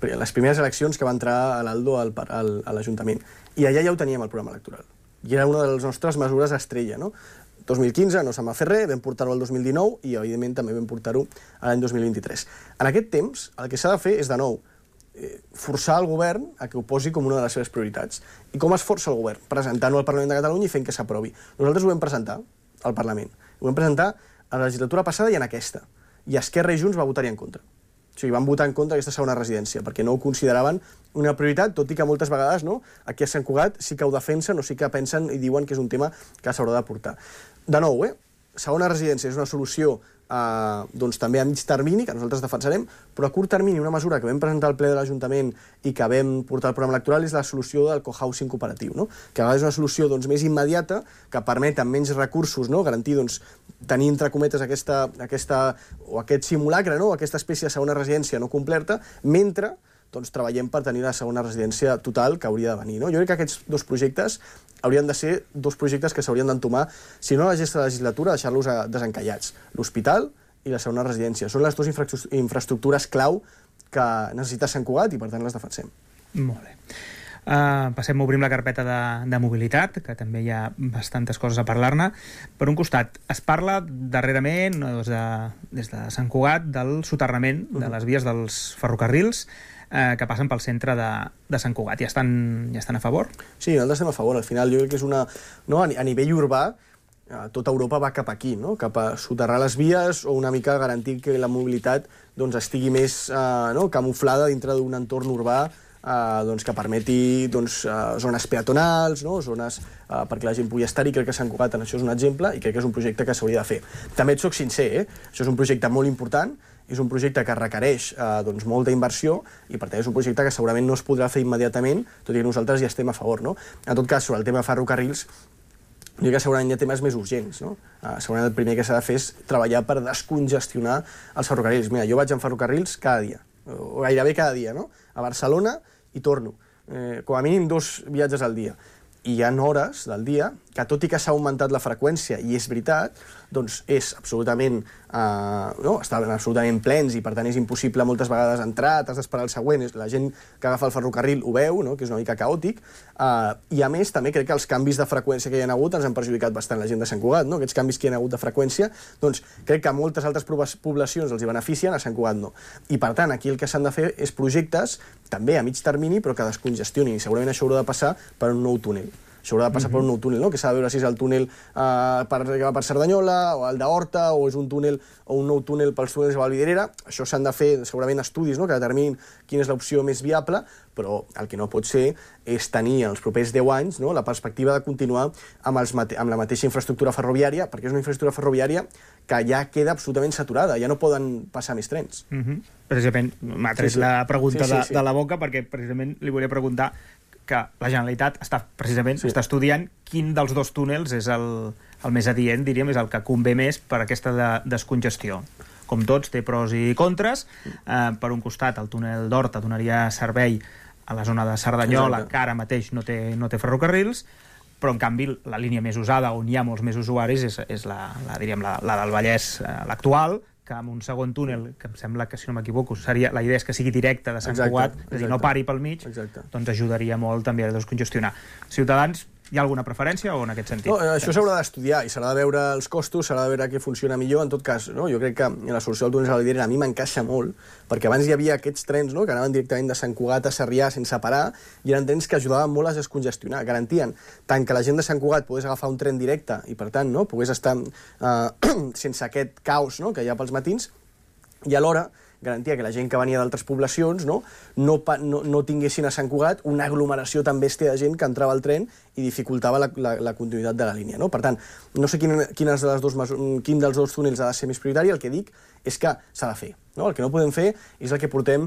M: Les primeres eleccions que va entrar a l'Aldo a l'Ajuntament. I allà ja ho teníem, el programa electoral. I era una de les nostres mesures estrella, no? 2015 no se'n va fer res, vam portar-ho al 2019 i, evidentment, també vam portar-ho a l'any 2023. En aquest temps, el que s'ha de fer és, de nou, forçar el govern a que ho posi com una de les seves prioritats. I com es força el govern? Presentant-ho al Parlament de Catalunya i fent que s'aprovi. Nosaltres ho vam presentar al Parlament. Ho vam presentar a la legislatura passada i en aquesta. I Esquerra i Junts va votar-hi en contra. O sigui, van votar en contra d'aquesta segona residència, perquè no ho consideraven una prioritat, tot i que moltes vegades aquí a Sant Cugat sí que ho defensen o sí que pensen i diuen que és un tema que s'haurà de portar. De nou, segona residència és una solució també a mig termini, que nosaltres defensarem, però a curt termini una mesura que vam presentar al ple de l'Ajuntament i que vam portar al programa electoral és la solució del cohousing cooperatiu, que a vegades és una solució més immediata, que permet amb menys recursos garantir tenir entre cometes aquest simulacre, aquesta espècie de segona residència no completa, mentre treballem per tenir la segona residència total que hauria de venir. Jo crec que aquests dos projectes haurien de ser dos projectes que s'haurien d'entomar, si no a la legislatura, deixar-los desencallats. L'hospital i la segona residència. Són les dues infraestructures clau que necessita Sant Cugat i, per tant, les defensem.
L: Molt bé. Obrim la carpeta de mobilitat, que també hi ha bastantes coses a parlar-ne. Per un costat, es parla darrerament, des de Sant Cugat, del soterrament de les vies dels ferrocarrils que passen pel centre de Sant Cugat. Ja estan a favor?
M: Sí, nosaltres estem a favor. Al final jo crec que és una... A nivell urbà, tota Europa va cap aquí, cap a soterrar les vies o una mica garantir que la mobilitat estigui més camuflada dintre d'un entorn urbà que permeti zones peatonals, zones perquè la gent pugui estar-hi. Crec que Sant Cugat en això és un exemple i crec que és un projecte que s'hauria de fer. També et soc sincer, això és un projecte molt important, és un projecte que requereix molta inversió i per tant és un projecte que segurament no es podrà fer immediatament, tot i que nosaltres hi estem a favor. En tot cas, sobre el tema de ferrocarrils, jo crec que segurament hi ha temes més urgents. Segurament el primer que s'ha de fer és treballar per descongestionar els ferrocarrils. Mira, jo vaig en ferrocarrils cada dia, o gairebé cada dia, a Barcelona i torno. Com a mínim 2 viatges al dia. I hi ha hores del dia que, tot i que s'ha augmentat la freqüència, i és veritat, és absolutament... estaven absolutament plens i, per tant, és impossible moltes vegades entrar, t'has d'esperar el següent. La gent que agafa el ferrocarril ho veu, que és una mica caòtic. I, a més, també crec que els canvis de freqüència que hi ha hagut ens han perjudicat bastant la gent de Sant Cugat. Aquests canvis que hi ha hagut de freqüència, crec que a moltes altres poblacions els hi beneficien, a Sant Cugat no. I, per tant, aquí el que s'han de fer és projectes, també a mig termini, però que descongestionin. I segurament això haurà de passar per un nou túnel. Això haurà de passar per un nou túnel, no? Que s'ha de veure si és el túnel per Cerdanyola, o el d'Horta, o és un túnel o un nou túnel pels túnels de Vallvidrera. Això s'han de fer segurament estudis, no?, que determinin quina és l'opció més viable, però el que no pot ser és tenir els propers 10 anys, no?, la perspectiva de continuar amb la mateixa infraestructura ferroviària, perquè és una infraestructura ferroviària que ja queda absolutament saturada, ja no poden passar més trens.
L: Precisament m'ha tret la pregunta de la boca, perquè precisament li volia preguntar que la Generalitat està estudiant quin dels dos túnels és el més adient, diríem, és el que convé més per aquesta descongestió. Com tots, té pros i contres. Per un costat, el túnel d'Horta donaria servei a la zona de Cerdanyola, que ara mateix no té ferrocarrils, però en canvi la línia més usada, on hi ha molts més usuaris, és la del Vallès, l'actual, que amb un segon túnel, que em sembla que, si no m'equivoco, la idea és que sigui directe de Sant Cugat, és a dir, no pari pel mig, doncs ajudaria molt també a descongestionar. Ciutadans, hi ha alguna preferència o en aquest sentit?
M: No, això s'haurà d'estudiar i s'haurà de veure els costos, s'haurà de veure què funciona millor. En tot cas, no? Jo crec que la solució del túnel de Vallvidrera a mi m'encaixa molt, perquè abans hi havia aquests trens, no?, que anaven directament de Sant Cugat a Sarrià sense parar, i eren trens que ajudaven molt a descongestionar, garantien tant que la gent de Sant Cugat pogués agafar un tren directe i, per tant, no?, pogués estar sense aquest caos, no?, que hi ha pels matins, i alhora garantia que la gent que venia d'altres poblacions no tinguessin a Sant Cugat una aglomeració tan bèstia de gent que entrava al tren i dificultava la continuïtat de la línia, no? Per tant, no sé quin dels dos túnels ha de ser més prioritari, el que dic és que s'ha de fer, no? El que no podem fer és el que portem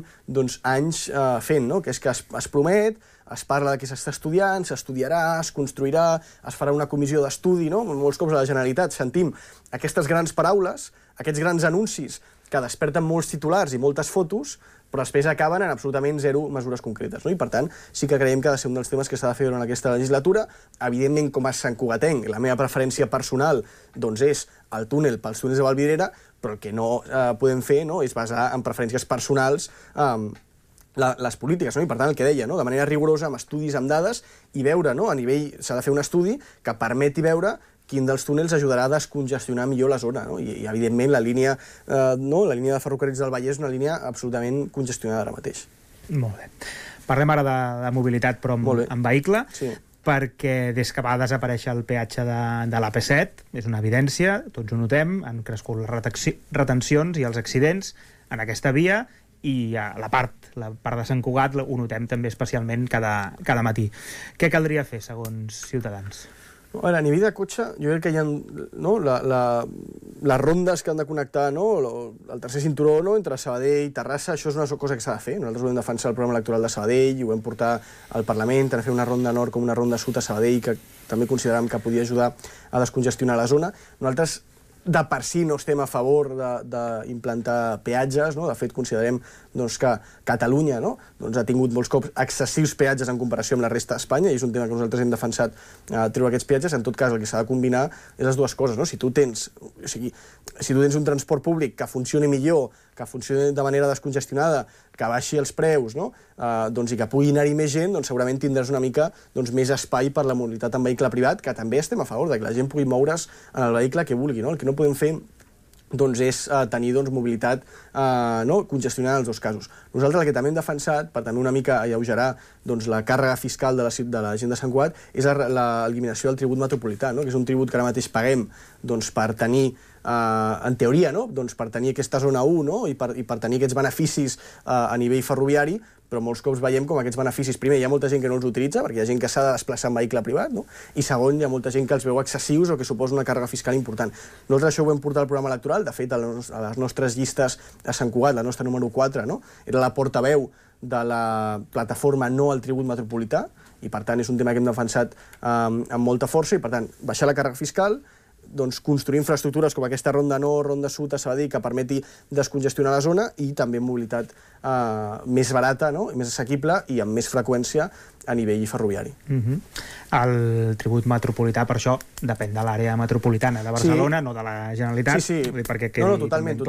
M: anys fent, no?, que és que es promet, es parla de que s'està estudiant, s'estudiarà, es construirà, es farà una comissió d'estudi, no? Molts cops a la Generalitat sentim aquestes grans paraules, aquests grans anuncis que desperten molts titulars i moltes fotos, però després acaben en absolutament zero mesures concretes, no? I, per tant, sí que creiem que ha de ser un dels temes que s'ha de fer durant aquesta legislatura. Evidentment, com a santcugatenc, la meva preferència personal doncs és el túnel pels túnels de Vallvidrera, però el que no podem fer, no?, és basar en preferències personals les polítiques, no? I, per tant, el que deia, no?, de manera rigorosa, amb estudis, amb dades, i veure, no?, a nivell, s'ha de fer un estudi que permeti veure quin dels túnels ajudarà a descongestionar millor la zona, no? I evidentment, la línia de ferrocarrils del Vallès és una línia absolutament congestionada ara mateix.
L: Molt bé. Parlem ara de mobilitat, però amb vehicle, perquè des que va desaparèixer el peatge de l'AP7, és una evidència, tots ho notem, han crescut les retencions i els accidents en aquesta via, i la part de Sant Cugat ho notem també especialment cada matí. Què caldria fer, segons Ciutadans?
M: A nivell de cotxe, jo crec que hi ha les rondes que han de connectar, el tercer cinturó entre Sabadell i Terrassa, això és una cosa que s'ha de fer. Nosaltres ho vam defensar al programa electoral de Sabadell i ho vam portar al Parlament, a fer una ronda nord com una ronda sud a Sabadell, que també consideràvem que podia ajudar a descongestionar la zona. Nosaltres de per si no estem a favor d'implantar peatges, no? De fet, considerem que Catalunya ha tingut molts cops excessius peatges en comparació amb la resta d'Espanya, i és un tema que nosaltres hem defensat, treure aquests peatges. En tot cas, el que s'ha de combinar és les dues coses, no? Si tu tens un transport públic que funcioni millor, que funcioni de manera descongestionada, que baixi els preus, i que pugui anar-hi més gent, doncs segurament tindràs una mica més espai per la mobilitat en vehicle privat, que també estem a favor de que la gent pugui moure's en el vehicle que vulgui, no? El que no podem fer és tenir mobilitat congestionada en els dos casos. Nosaltres el que també hem defensat, per també una mica alleugerar la càrrega fiscal de la gent de Sant Cugat, és l'eliminació del tribut metropolità, que és un tribut que ara mateix paguem per tenir, en teoria, per tenir aquesta zona 1 i per tenir aquests beneficis a nivell ferroviari, però molts cops veiem com aquests beneficis, primer, hi ha molta gent que no els utilitza, perquè hi ha gent que s'ha de desplaçar en vehicle privat, i segon, hi ha molta gent que els veu excessius o que suposa una càrrega fiscal important. Nosaltres això ho vam portar al programa electoral, de fet, a les nostres llistes a Sant Cugat, la nostra número 4, era la portaveu de la plataforma No al tribut metropolità, i per tant és un tema que hem defensat amb molta força, i per tant, baixar la càrrega fiscal, construir infraestructures com aquesta ronda nord, ronda sud a Sabadell, que permeti descongestionar la zona, i també mobilitat més barata, més assequible i amb més freqüència a nivell ferroviari.
L: El tribut metropolità, per això, depèn de l'àrea metropolitana de Barcelona, no de la Generalitat.
M: Sí. Totalment.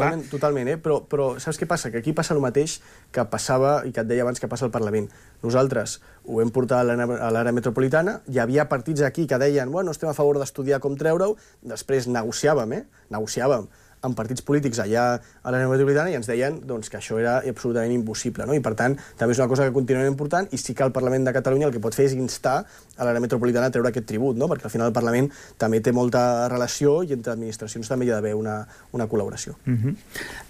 M: Però saps què passa? Que aquí passa el mateix que passava, i que et deia abans, que passa al Parlament. Nosaltres ho vam portar a l'àrea metropolitana, hi havia partits aquí que deien, bueno, estem a favor d'estudiar com treure-ho, després negociàvem amb partits polítics allà a l'àrea metropolitana i ens deien doncs, que això era absolutament impossible, no? I per tant també és una cosa que continuem important i sí que el Parlament de Catalunya el que pot fer és instar a l'àrea metropolitana a treure aquest tribut, no? Perquè al final el Parlament també té molta relació i entre administracions també hi ha d'haver una col·laboració.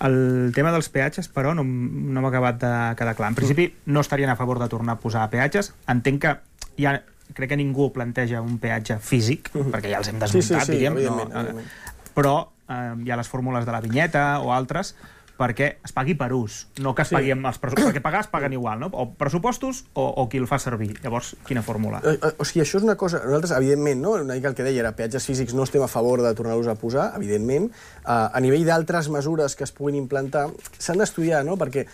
L: El tema dels peatges, però, no m'ha acabat de quedar clar. En principi, no estarien a favor de tornar a posar peatges. Entenc que crec que ningú planteja un peatge físic, perquè ja els hem desmuntat, diguem.
M: Evidentment.
L: Però hi ha les fórmules de la vinyeta o altres perquè es pagui per ús, no que es pagui amb els pressupostos, perquè pagar es paguen igual, no? O pressupostos o qui el fa servir. Llavors, quina fórmula?
M: O sigui, això és una cosa... Nosaltres, evidentment, no? Una mica el que deia era peatges físics no estem a favor de tornar-los a posar, evidentment. A nivell d'altres mesures que es puguin implantar, s'han d'estudiar, no? Perquè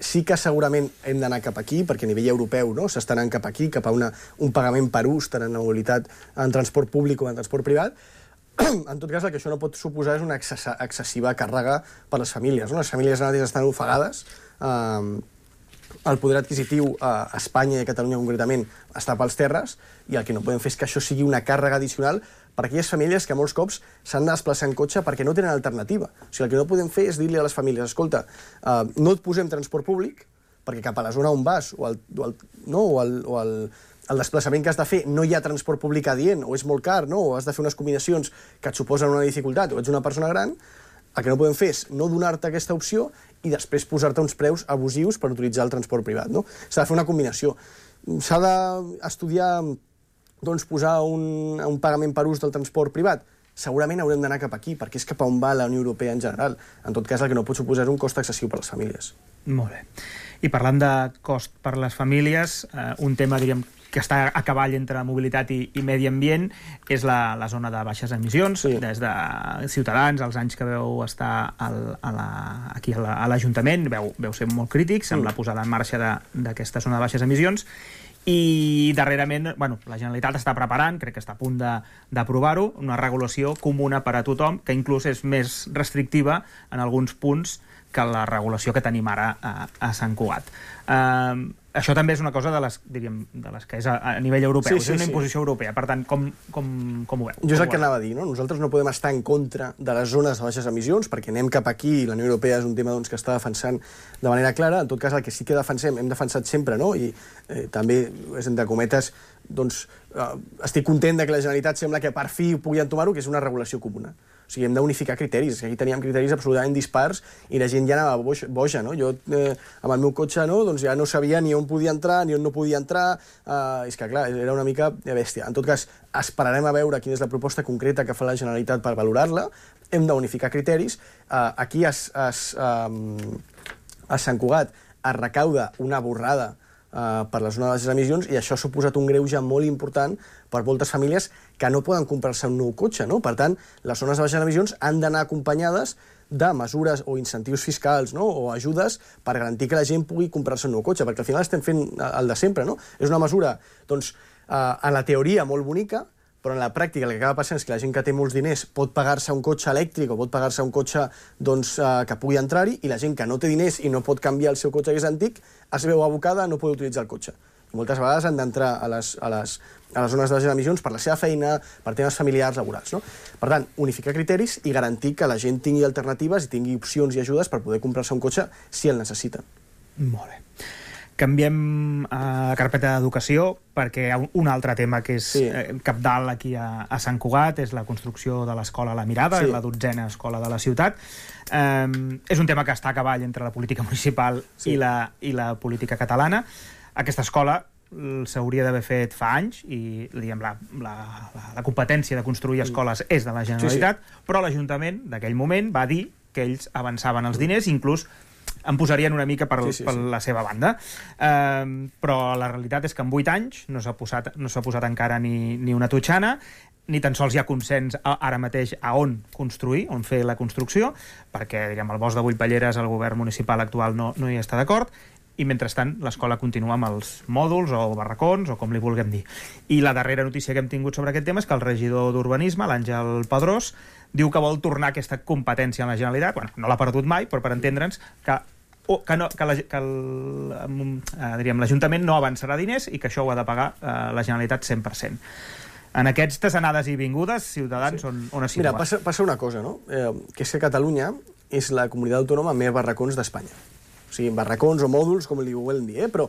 M: sí que segurament hem d'anar cap aquí, perquè a nivell europeu no? S'està anant cap aquí, cap a un pagament per ús, tant en mobilitat en transport públic com en transport privat. En tot cas, el que això no pot suposar és una excessiva càrrega per a les famílies. No? Les famílies anàlies estan ofegades. El poder adquisitiu a Espanya i a Catalunya concretament està pels terres i el que no podem fer és que això sigui una càrrega addicional per a aquelles famílies que molts cops s'han de desplaçar en cotxe perquè no tenen alternativa. O sigui, el que no podem fer és dir-li a les famílies escolta, no et posem transport públic perquè cap a la zona on vas o el desplaçament que has de fer no hi ha transport públic adient o és molt car, no? O has de fer unes combinacions que et suposen una dificultat o ets una persona gran, el que no podem fer és no donar-te aquesta opció i després posar-te uns preus abusius per utilitzar el transport privat. No? S'ha de fer una combinació. S'ha d'estudiar doncs, posar un pagament per ús del transport privat? Segurament haurem d'anar cap aquí, perquè és cap a on va la Unió Europea en general. En tot cas, el que no pot suposar és un cost excessiu per a les famílies.
L: Molt bé. I parlant de cost per a les famílies, un tema, diríem, que està a cavall entre mobilitat i medi ambient és la zona de baixes emissions. Des de Ciutadans, els anys que veu estar aquí a l'Ajuntament, veu ser molt crítics amb la posada en marxa d'aquesta zona de baixes emissions. I darrerament, la Generalitat està preparant, crec que està a punt d'aprovar-ho, una regulació comuna per a tothom, que inclús és més restrictiva en alguns punts que la regulació que tenim ara a Sant Cugat. Això també és una cosa de les que és a nivell europeu, és una imposició europea. Per tant, com ho veu?
M: Jo és el que anava a dir, no? Nosaltres no podem estar en contra de les zones de baixes emissions, perquè anem cap aquí i la Unió Europea és un tema que està defensant de manera clara. En tot cas, el que sí que defensem, hem defensat sempre, no? I també, entre cometes, estic content que la Generalitat sembla que per fi pugui entomar-ho, que és una regulació comuna. O sigui, hem d'unificar criteris. Aquí teníem criteris absolutament dispars i la gent ja anava boja, no? Jo, amb el meu cotxe, doncs ja no sabia ni on podia entrar, ni on no podia entrar. És que, clar, era una mica bèstia. En tot cas, esperarem a veure quina és la proposta concreta que fa la Generalitat per valorar-la. Hem d'unificar criteris. Aquí, a Sant Cugat, es recauda una borrada per la zona de les emissions i això ha suposat un greuge molt important per moltes famílies que no poden comprar-se un nou cotxe, no? Per tant, les zones de baixes emissions han d'anar acompanyades de mesures o incentius fiscals, no? O ajudes per garantir que la gent pugui comprar-se un nou cotxe, perquè al final estem fent el de sempre, no? És una mesura, doncs, a la teoria molt bonica, però en la pràctica el que acaba passant és que la gent que té molts diners pot pagar-se un cotxe elèctric o pot pagar-se un cotxe que pugui entrar-hi i la gent que no té diners i no pot canviar el seu cotxe que és antic es veu abocada a no poder utilitzar el cotxe. I moltes vegades han d'entrar a les zones de baixes emissions per la seva feina, per temes familiars, laborals. No? Per tant, unificar criteris i garantir que la gent tingui alternatives i tingui opcions i ajudes per poder comprar-se un cotxe si el necessita.
L: Molt bé. Canviem a carpeta d'educació perquè hi ha un altre tema que és cabdal aquí a Sant Cugat, és la construcció de l'escola La Mirada, la 12a escola de la ciutat. És un tema que està a cavall entre la política municipal i la política catalana. Aquesta escola s'hauria d'haver fet fa anys i la competència de construir escoles és de la Generalitat, però l'Ajuntament d'aquell moment va dir que ells avançaven els diners, inclús en posarien una mica per la seva banda. Però la realitat és que en 8 anys no s'ha posat encara ni una totxana, ni tan sols hi ha consens ara mateix a on construir, on fer la construcció, perquè el bosc de Vullpelleres, el govern municipal actual no hi està d'acord, i mentrestant l'escola continua amb els mòduls o barracons o com li vulguem dir. I la darrera notícia que hem tingut sobre aquest tema és que el regidor d'Urbanisme, l'Àngel Pedrós, diu que vol tornar aquesta competència a la Generalitat. Bueno, no l'ha perdut mai, però per entendre'ns que l'Ajuntament no avançarà diners i que això ho ha de pagar la Generalitat 100%. En aquestes anades i vingudes, Ciutadans, on es situa?
M: Mira, passa una cosa, no? Que és que Catalunya és la comunitat autònoma amb més barracons d'Espanya. O sigui, barracons o mòduls, com li volen dir, però...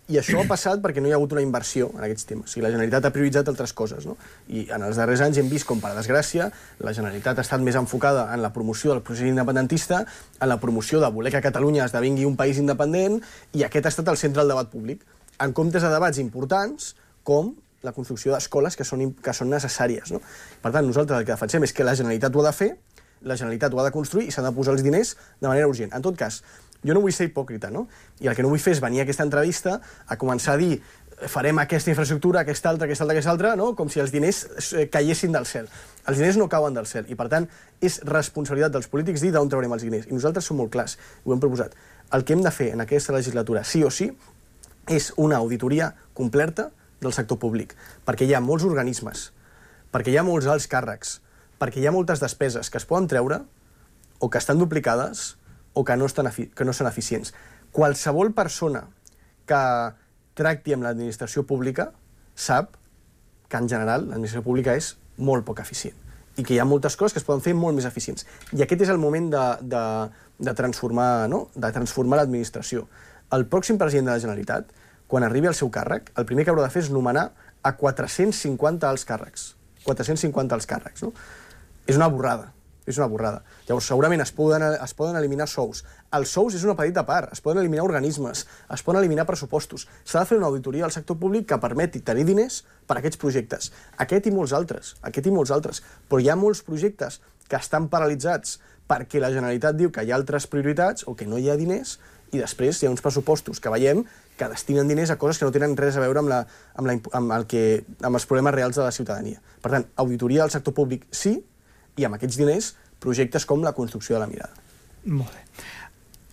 M: I això ha passat perquè no hi ha hagut una inversió en aquests temes. O sigui, la Generalitat ha prioritzat altres coses, no? I en els darrers anys hem vist com, per desgràcia, la Generalitat ha estat més enfocada en la promoció del procés independentista, en la promoció de voler que Catalunya esdevingui un país independent, i aquest ha estat el centre del debat públic, en comptes de debats importants com la construcció d'escoles que són necessàries, no? Per tant, nosaltres el que defensem és que la Generalitat ho ha de fer, la Generalitat ho ha de construir i s'ha de posar els diners de manera urgent. En tot cas, jo no vull ser hipòcrita, no? I el que no vull fer és venir a aquesta entrevista a començar a dir farem aquesta infraestructura, aquesta altra, no? Com si els diners caiessin del cel. Els diners no cauen del cel i, per tant, és responsabilitat dels polítics dir d'on traurem els diners. I nosaltres som molt clars, ho hem proposat. El que hem de fer en aquesta legislatura, sí o sí, és una auditoria completa del sector públic, perquè hi ha molts organismes, perquè hi ha molts alts càrrecs, perquè hi ha moltes despeses que es poden treure o que estan duplicades o que no són eficients. Qualsevol persona que tracti amb l'administració pública sap que, en general, l'administració pública és molt poc eficient i que hi ha moltes coses que es poden fer molt més eficients. I aquest és el moment de transformar, no? De transformar l'administració. El pròxim president de la Generalitat, quan arribi al seu càrrec, el primer que haurà de fer és nomenar a 450 alts càrrecs. 450 alts càrrecs, no? És una borrada. És una borrada. Llavors, segurament es poden eliminar sous. Els sous és una petita part. Es poden eliminar organismes, es poden eliminar pressupostos. S'ha de fer una auditoria al sector públic que permeti tenir diners per a aquests projectes. Aquest i molts altres. Però hi ha molts projectes que estan paralitzats perquè la Generalitat diu que hi ha altres prioritats o que no hi ha diners, i després hi ha uns pressupostos que veiem que destinen diners a coses que no tenen res a veure amb els problemes reals de la ciutadania. Per tant, auditoria del sector públic sí, i amb aquests diners, projectes com la construcció de la mirada.
L: Molt bé.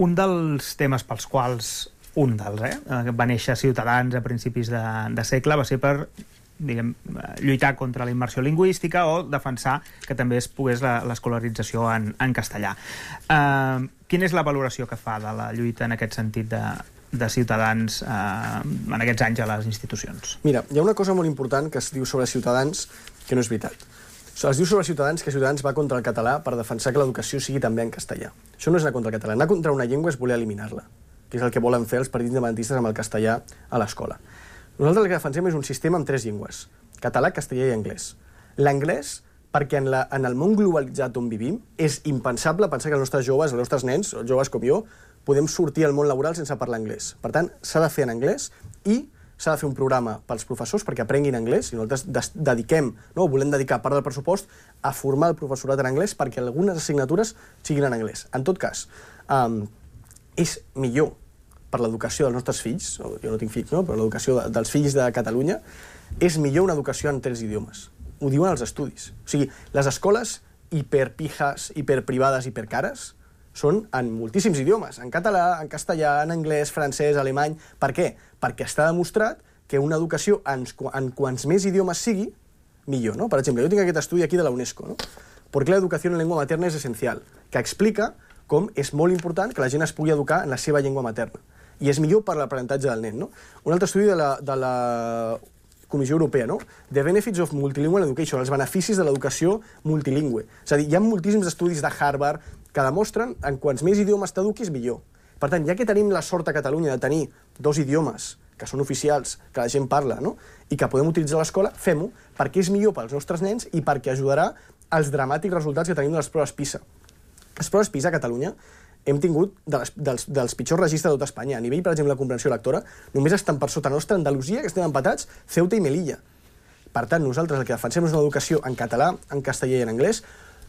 L: Un dels temes pels quals, va néixer Ciutadans a principis de segle, va ser per lluitar contra la immersió lingüística o defensar que també es pogués l'escolarització en castellà. Quina és la valoració que fa de la lluita en aquest sentit de Ciutadans en aquests anys a les institucions?
M: Mira, hi ha una cosa molt important que es diu sobre Ciutadans que no és veritat. Es diu sobre Ciutadans que Ciutadans va contra el català per defensar que l'educació sigui també en castellà. Això no és anar contra el català. Anar contra una llengua és voler eliminar-la, que és el que volen fer els partits independentistes amb el castellà a l'escola. Nosaltres el que defensem és un sistema amb 3 llengües, català, castellà i anglès. L'anglès, perquè en el món globalitzat on vivim, és impensable pensar que els nostres joves, els nostres nens, joves com jo, podem sortir al món laboral sense parlar anglès. Per tant, s'ha de fer en anglès i s'ha de fer un programa pels professors perquè aprenguin anglès, i nosaltres volem dedicar part del pressupost a formar el professorat en anglès perquè algunes assignatures siguin en anglès. En tot cas, és millor per l'educació dels nostres fills, jo no tinc fills, no? Però l'educació dels fills de Catalunya, és millor una educació en 3 idiomes. Ho diuen els estudis. O sigui, les escoles hiperpijas, hiperprivades, hipercares, són en moltíssims idiomes, en català, en castellà, en anglès, francès, alemany. Per què? Perquè està demostrat que una educació en quants més idiomes sigui, millor, no? Per exemple, jo tinc aquest estudi aquí de la UNESCO, no? ¿Por qué la educación en lengua materna es esencial? Que explica com és molt important que la gent es pugui educar en la seva llengua materna. I és millor per l'aprenentatge del nen, no? Un altre estudi de la Comissió Europea, no? The Benefits of Multilingual Education, els beneficis de l'educació multilingüe. És a dir, hi ha moltíssims estudis de Harvard que demostren en quants més idiomes t'eduquis, millor. Per tant, ja que tenim la sort a Catalunya de tenir 2 idiomes que són oficials, que la gent parla, no? I que podem utilitzar a l'escola, fem-ho, perquè és millor pels nostres nens i perquè ajudarà als dramàtics resultats que tenim de les proves PISA. Les proves PISA a Catalunya hem tingut dels pitjors registres de tot Espanya. A nivell, per exemple, de comprensió lectora, només estan per sota nostra Andalusia, que estem empatats, Ceuta i Melilla. Per tant, nosaltres el que defensem és una educació en català, en castellà i en anglès,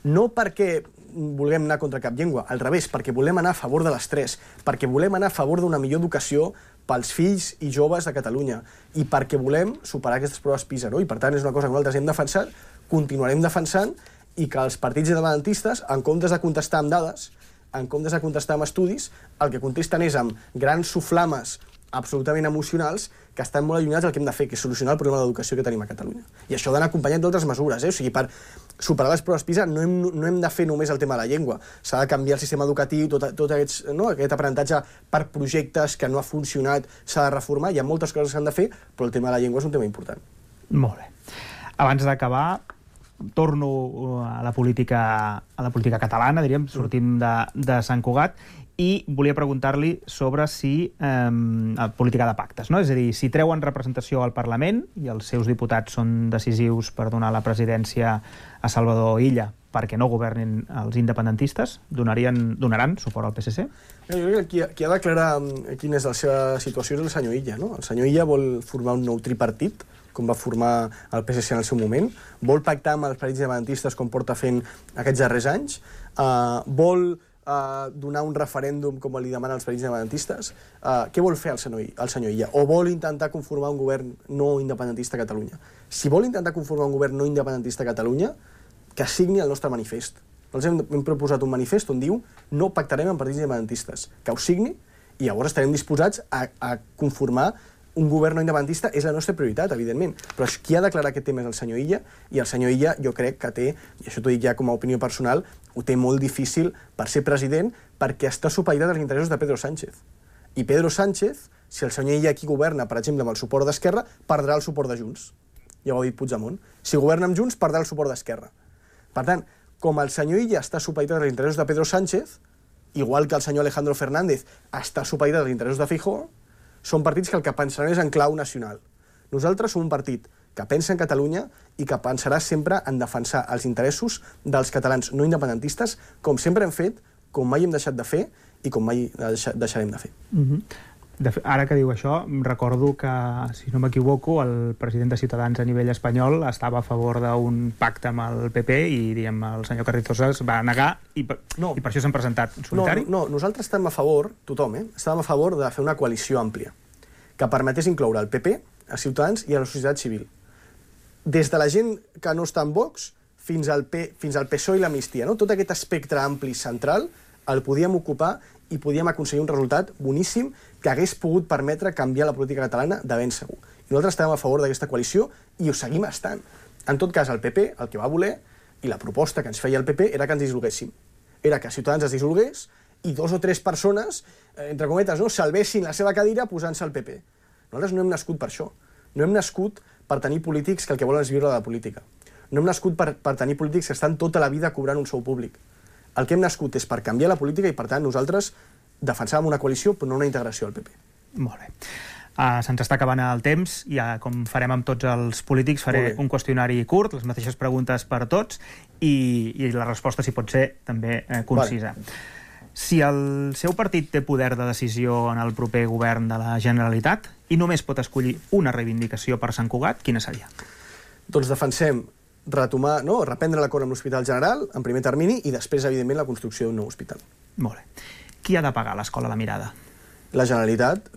M: no perquè vulguem anar contra cap llengua, al revés, perquè volem anar a favor de les 3, perquè volem anar a favor d'una millor educació pels fills i joves de Catalunya, i perquè volem superar aquestes proves PISA, no? I per tant és una cosa que nosaltres hem defensat, continuarem defensant, i que els partits independentistes, en comptes de contestar amb dades, en comptes de contestar amb estudis, el que contesten és amb grans soflames absolutament emocionals que estan molt allunyats del que hem de fer, que és solucionar el problema d'educació que tenim a Catalunya. I això ha d'anar acompanyat d'altres mesures, O sigui, per superar les proves PISA no hem de fer només el tema de la llengua. S'ha de canviar el sistema educatiu, tot aquest aprenentatge per projectes que no ha funcionat, s'ha de reformar, hi ha moltes coses que s'han de fer, però el tema de la llengua és un tema important.
L: Molt bé. Abans d'acabar, torno a la política catalana, diríem, sortim de Sant Cugat, i volia preguntar-li sobre si política de pactes, no? És a dir, si treuen representació al Parlament i els seus diputats són decisius per donar la presidència a Salvador Illa perquè no governin els independentistes, donaran suport al PSC?
M: Jo crec que qui ha d'aclarar quina és la seva situació és el senyor Illa, no? El senyor Illa vol formar un nou tripartit, com va formar el PSC en el seu moment, vol pactar amb els partits independentistes com porta fent aquests darrers anys, vol donar un referèndum com li demanen els partits independentistes. Què vol fer el senyor Illa? O vol intentar conformar un govern no independentista a Catalunya? Si vol intentar conformar un govern no independentista a Catalunya, que signi el nostre manifest. Nosaltres hem proposat un manifest on diu no pactarem amb partits independentistes, que ho signi i llavors estarem disposats a conformar un govern no independentista. És la nostra prioritat, evidentment, però qui ha declarat aquest tema és el senyor Illa, i el senyor Illa jo crec que té, i això t'ho dic ja com a opinió personal, ho té molt difícil per ser president perquè està supeditat als interessos de Pedro Sánchez. I Pedro Sánchez, si el senyor Illa aquí governa, per exemple, amb el suport d'Esquerra, perdrà el suport de Junts. Ja ho ha dit Puigdemont. Si governa amb Junts, perdrà el suport d'Esquerra. Per tant, com el senyor Illa està supeditat als interessos de Pedro Sánchez, igual que el senyor Alejandro Fernández està supeditat als interessos de Feijóo, són partits que el que pensaran és en clau nacional. Nosaltres som un partit que pensa en Catalunya i que pensarà sempre en defensar els interessos dels catalans no independentistes, com sempre hem fet, com mai hem deixat de fer i com mai deixarem de fer.
L: Ara que diu això, recordo que, si no m'equivoco, el president de Ciutadans a nivell espanyol estava a favor d'un pacte amb el PP i, diguem, el senyor Carrizosa es va negar i per això s'han presentat en solitari?
M: No, nosaltres estem a favor, tothom, estàvem a favor de fer una coalició àmplia que permetés incloure el PP, a Ciutadans i a la societat civil. Des de la gent que no està en Vox fins al PSOE i l'amnistia, no? Tot aquest espectre ampli central el podíem ocupar i podíem aconseguir un resultat boníssim que hagués pogut permetre canviar la política catalana de ben segur. I nosaltres estàvem a favor d'aquesta coalició i ho seguim estant. En tot cas, el PP, el que va voler, i la proposta que ens feia el PP, era que ens dissolguéssim. Era que Ciutadans es dissolgués i 2 o 3 persones, entre cometes, no, salvessin la seva cadira posant-se al PP. Nosaltres no hem nascut per això. No hem nascut per tenir polítics que el que volen és viure de la política. No hem nascut per tenir polítics que estan tota la vida cobrant un sou públic. El que hem nascut és per canviar la política i, per tant, nosaltres defensàvem una coalició però no una integració al PP.
L: Molt bé. Se'ns està acabant el temps, ja com farem amb tots els polítics, faré un qüestionari curt, les mateixes preguntes per a tots, i la resposta, si pot ser, també concisa. Si el seu partit té poder de decisió en el proper govern de la Generalitat i només pot escollir una reivindicació per Sant Cugat, quina seria?
M: Doncs defensem reprendre l'acord amb l'Hospital General, en primer termini, i després, evidentment, la construcció d'un nou hospital.
L: Molt bé. Qui ha de pagar l'Escola La Mirada?
M: La Generalitat,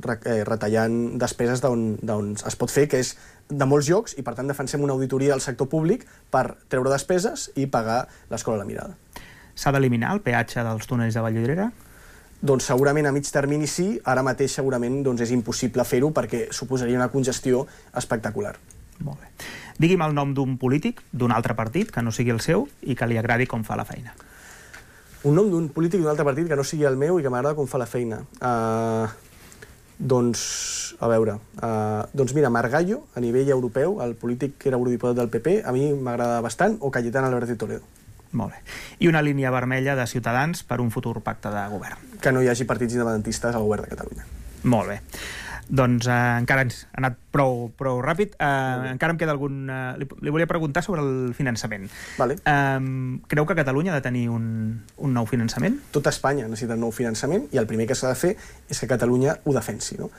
M: retallant despeses d'on es pot fer, que és de molts llocs, i per tant defensem una auditoria del sector públic per treure despeses i pagar l'Escola La Mirada.
L: S'ha d'eliminar el peatge dels túnels de Vallvidrera?
M: Doncs segurament a mig termini sí, ara mateix segurament és impossible fer-ho perquè suposaria una congestió espectacular.
L: Molt bé. Digui'm el nom d'un polític, d'un altre partit, que no sigui el seu i que li agradi com fa la feina.
M: Un nom d'un polític d'un altre partit que no sigui el meu i que m'agrada com fa la feina. Doncs mira, Margallo, a nivell europeu, el polític que era eurodiputat del PP, a mi m'agrada bastant, o Cayetana Álvarez de Toledo.
L: Molt bé. I una línia vermella de Ciutadans per un futur pacte de govern?
M: Que no hi hagi partits independentistes al govern de Catalunya.
L: Molt bé. Doncs encara ens ha anat prou ràpid. Encara em queda algun... Li volia preguntar sobre el finançament.
M: Vale.
L: Creu que Catalunya ha de tenir un nou finançament?
M: Tota Espanya necessita un nou finançament i el primer que s'ha de fer és que Catalunya ho defensi. No?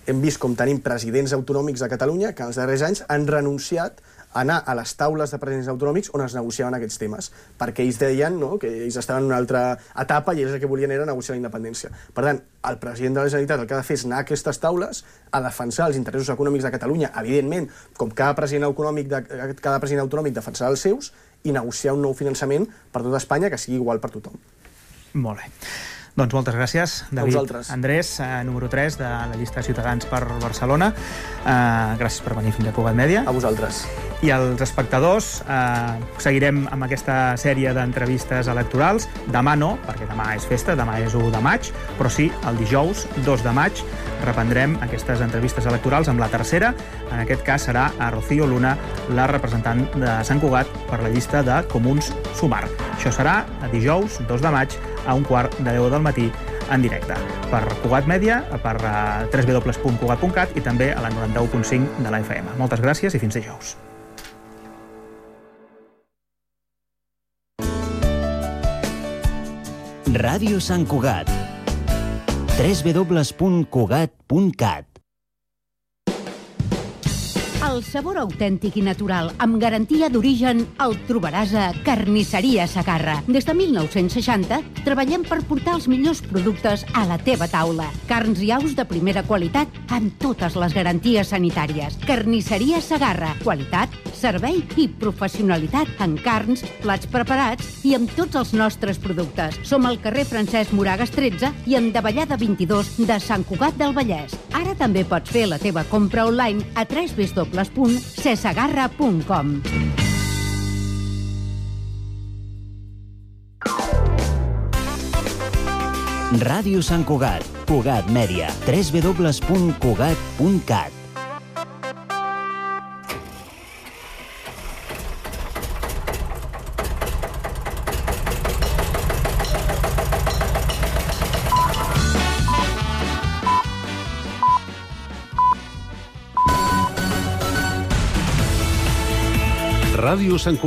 M: Hem vist com tenim presidents autonòmics de Catalunya que en els darrers anys han renunciat a anar a les taules de presidents autonòmics on es negociaven aquests temes, perquè ells deien que ells estaven en una altra etapa i ells el que volien era negociar la independència. Per tant, el president de la Generalitat el que ha de fer és anar a aquestes taules a defensar els interessos econòmics de Catalunya, evidentment, com cada president autonòmic defensarà els seus, i negociar un nou finançament per tota Espanya que sigui igual per tothom.
L: Molt bé. Doncs moltes gràcies, David. Andrés, número 3 de la llista de Ciutadans per Barcelona. Gràcies per venir fins a Cugat Mèdia.
M: A vosaltres.
L: I als espectadors, seguirem amb aquesta sèrie d'entrevistes electorals. Demà no, perquè demà és festa, demà és 1 de maig, però sí, el dijous 2 de maig reprendrem aquestes entrevistes electorals amb la tercera. En aquest cas serà a Rocío Luna, la representant de Sant Cugat per la llista de Comuns Sumar. Això serà a dijous 2 de maig a 9:45 del matí en directe per Cugat Mèdia, per www.cugat.cat i també a la 91.5 de la FM. Moltes gràcies i fins dijous.
D: Ràdio Sant Cugat. www.cugat.cat.
N: El sabor autèntic i natural, amb garantia d'origen, el trobaràs a Carnisseria Segarra. Des de 1960 treballem per portar els millors productes a la teva taula. Carns i aus de primera qualitat amb totes les garanties sanitàries. Carnisseria Segarra. Qualitat, servei i professionalitat en carns, plats preparats i amb tots els nostres productes. Som al carrer Francesc Moragas 13 i en Davallada 22 de Sant Cugat del Vallès. Ara també pots fer la teva compra online a www.cesegarra.com.
D: Ràdio Sant Cugat, Cugat Mèdia, www.cugat.cat.
O: Ràdio Sant Cugat.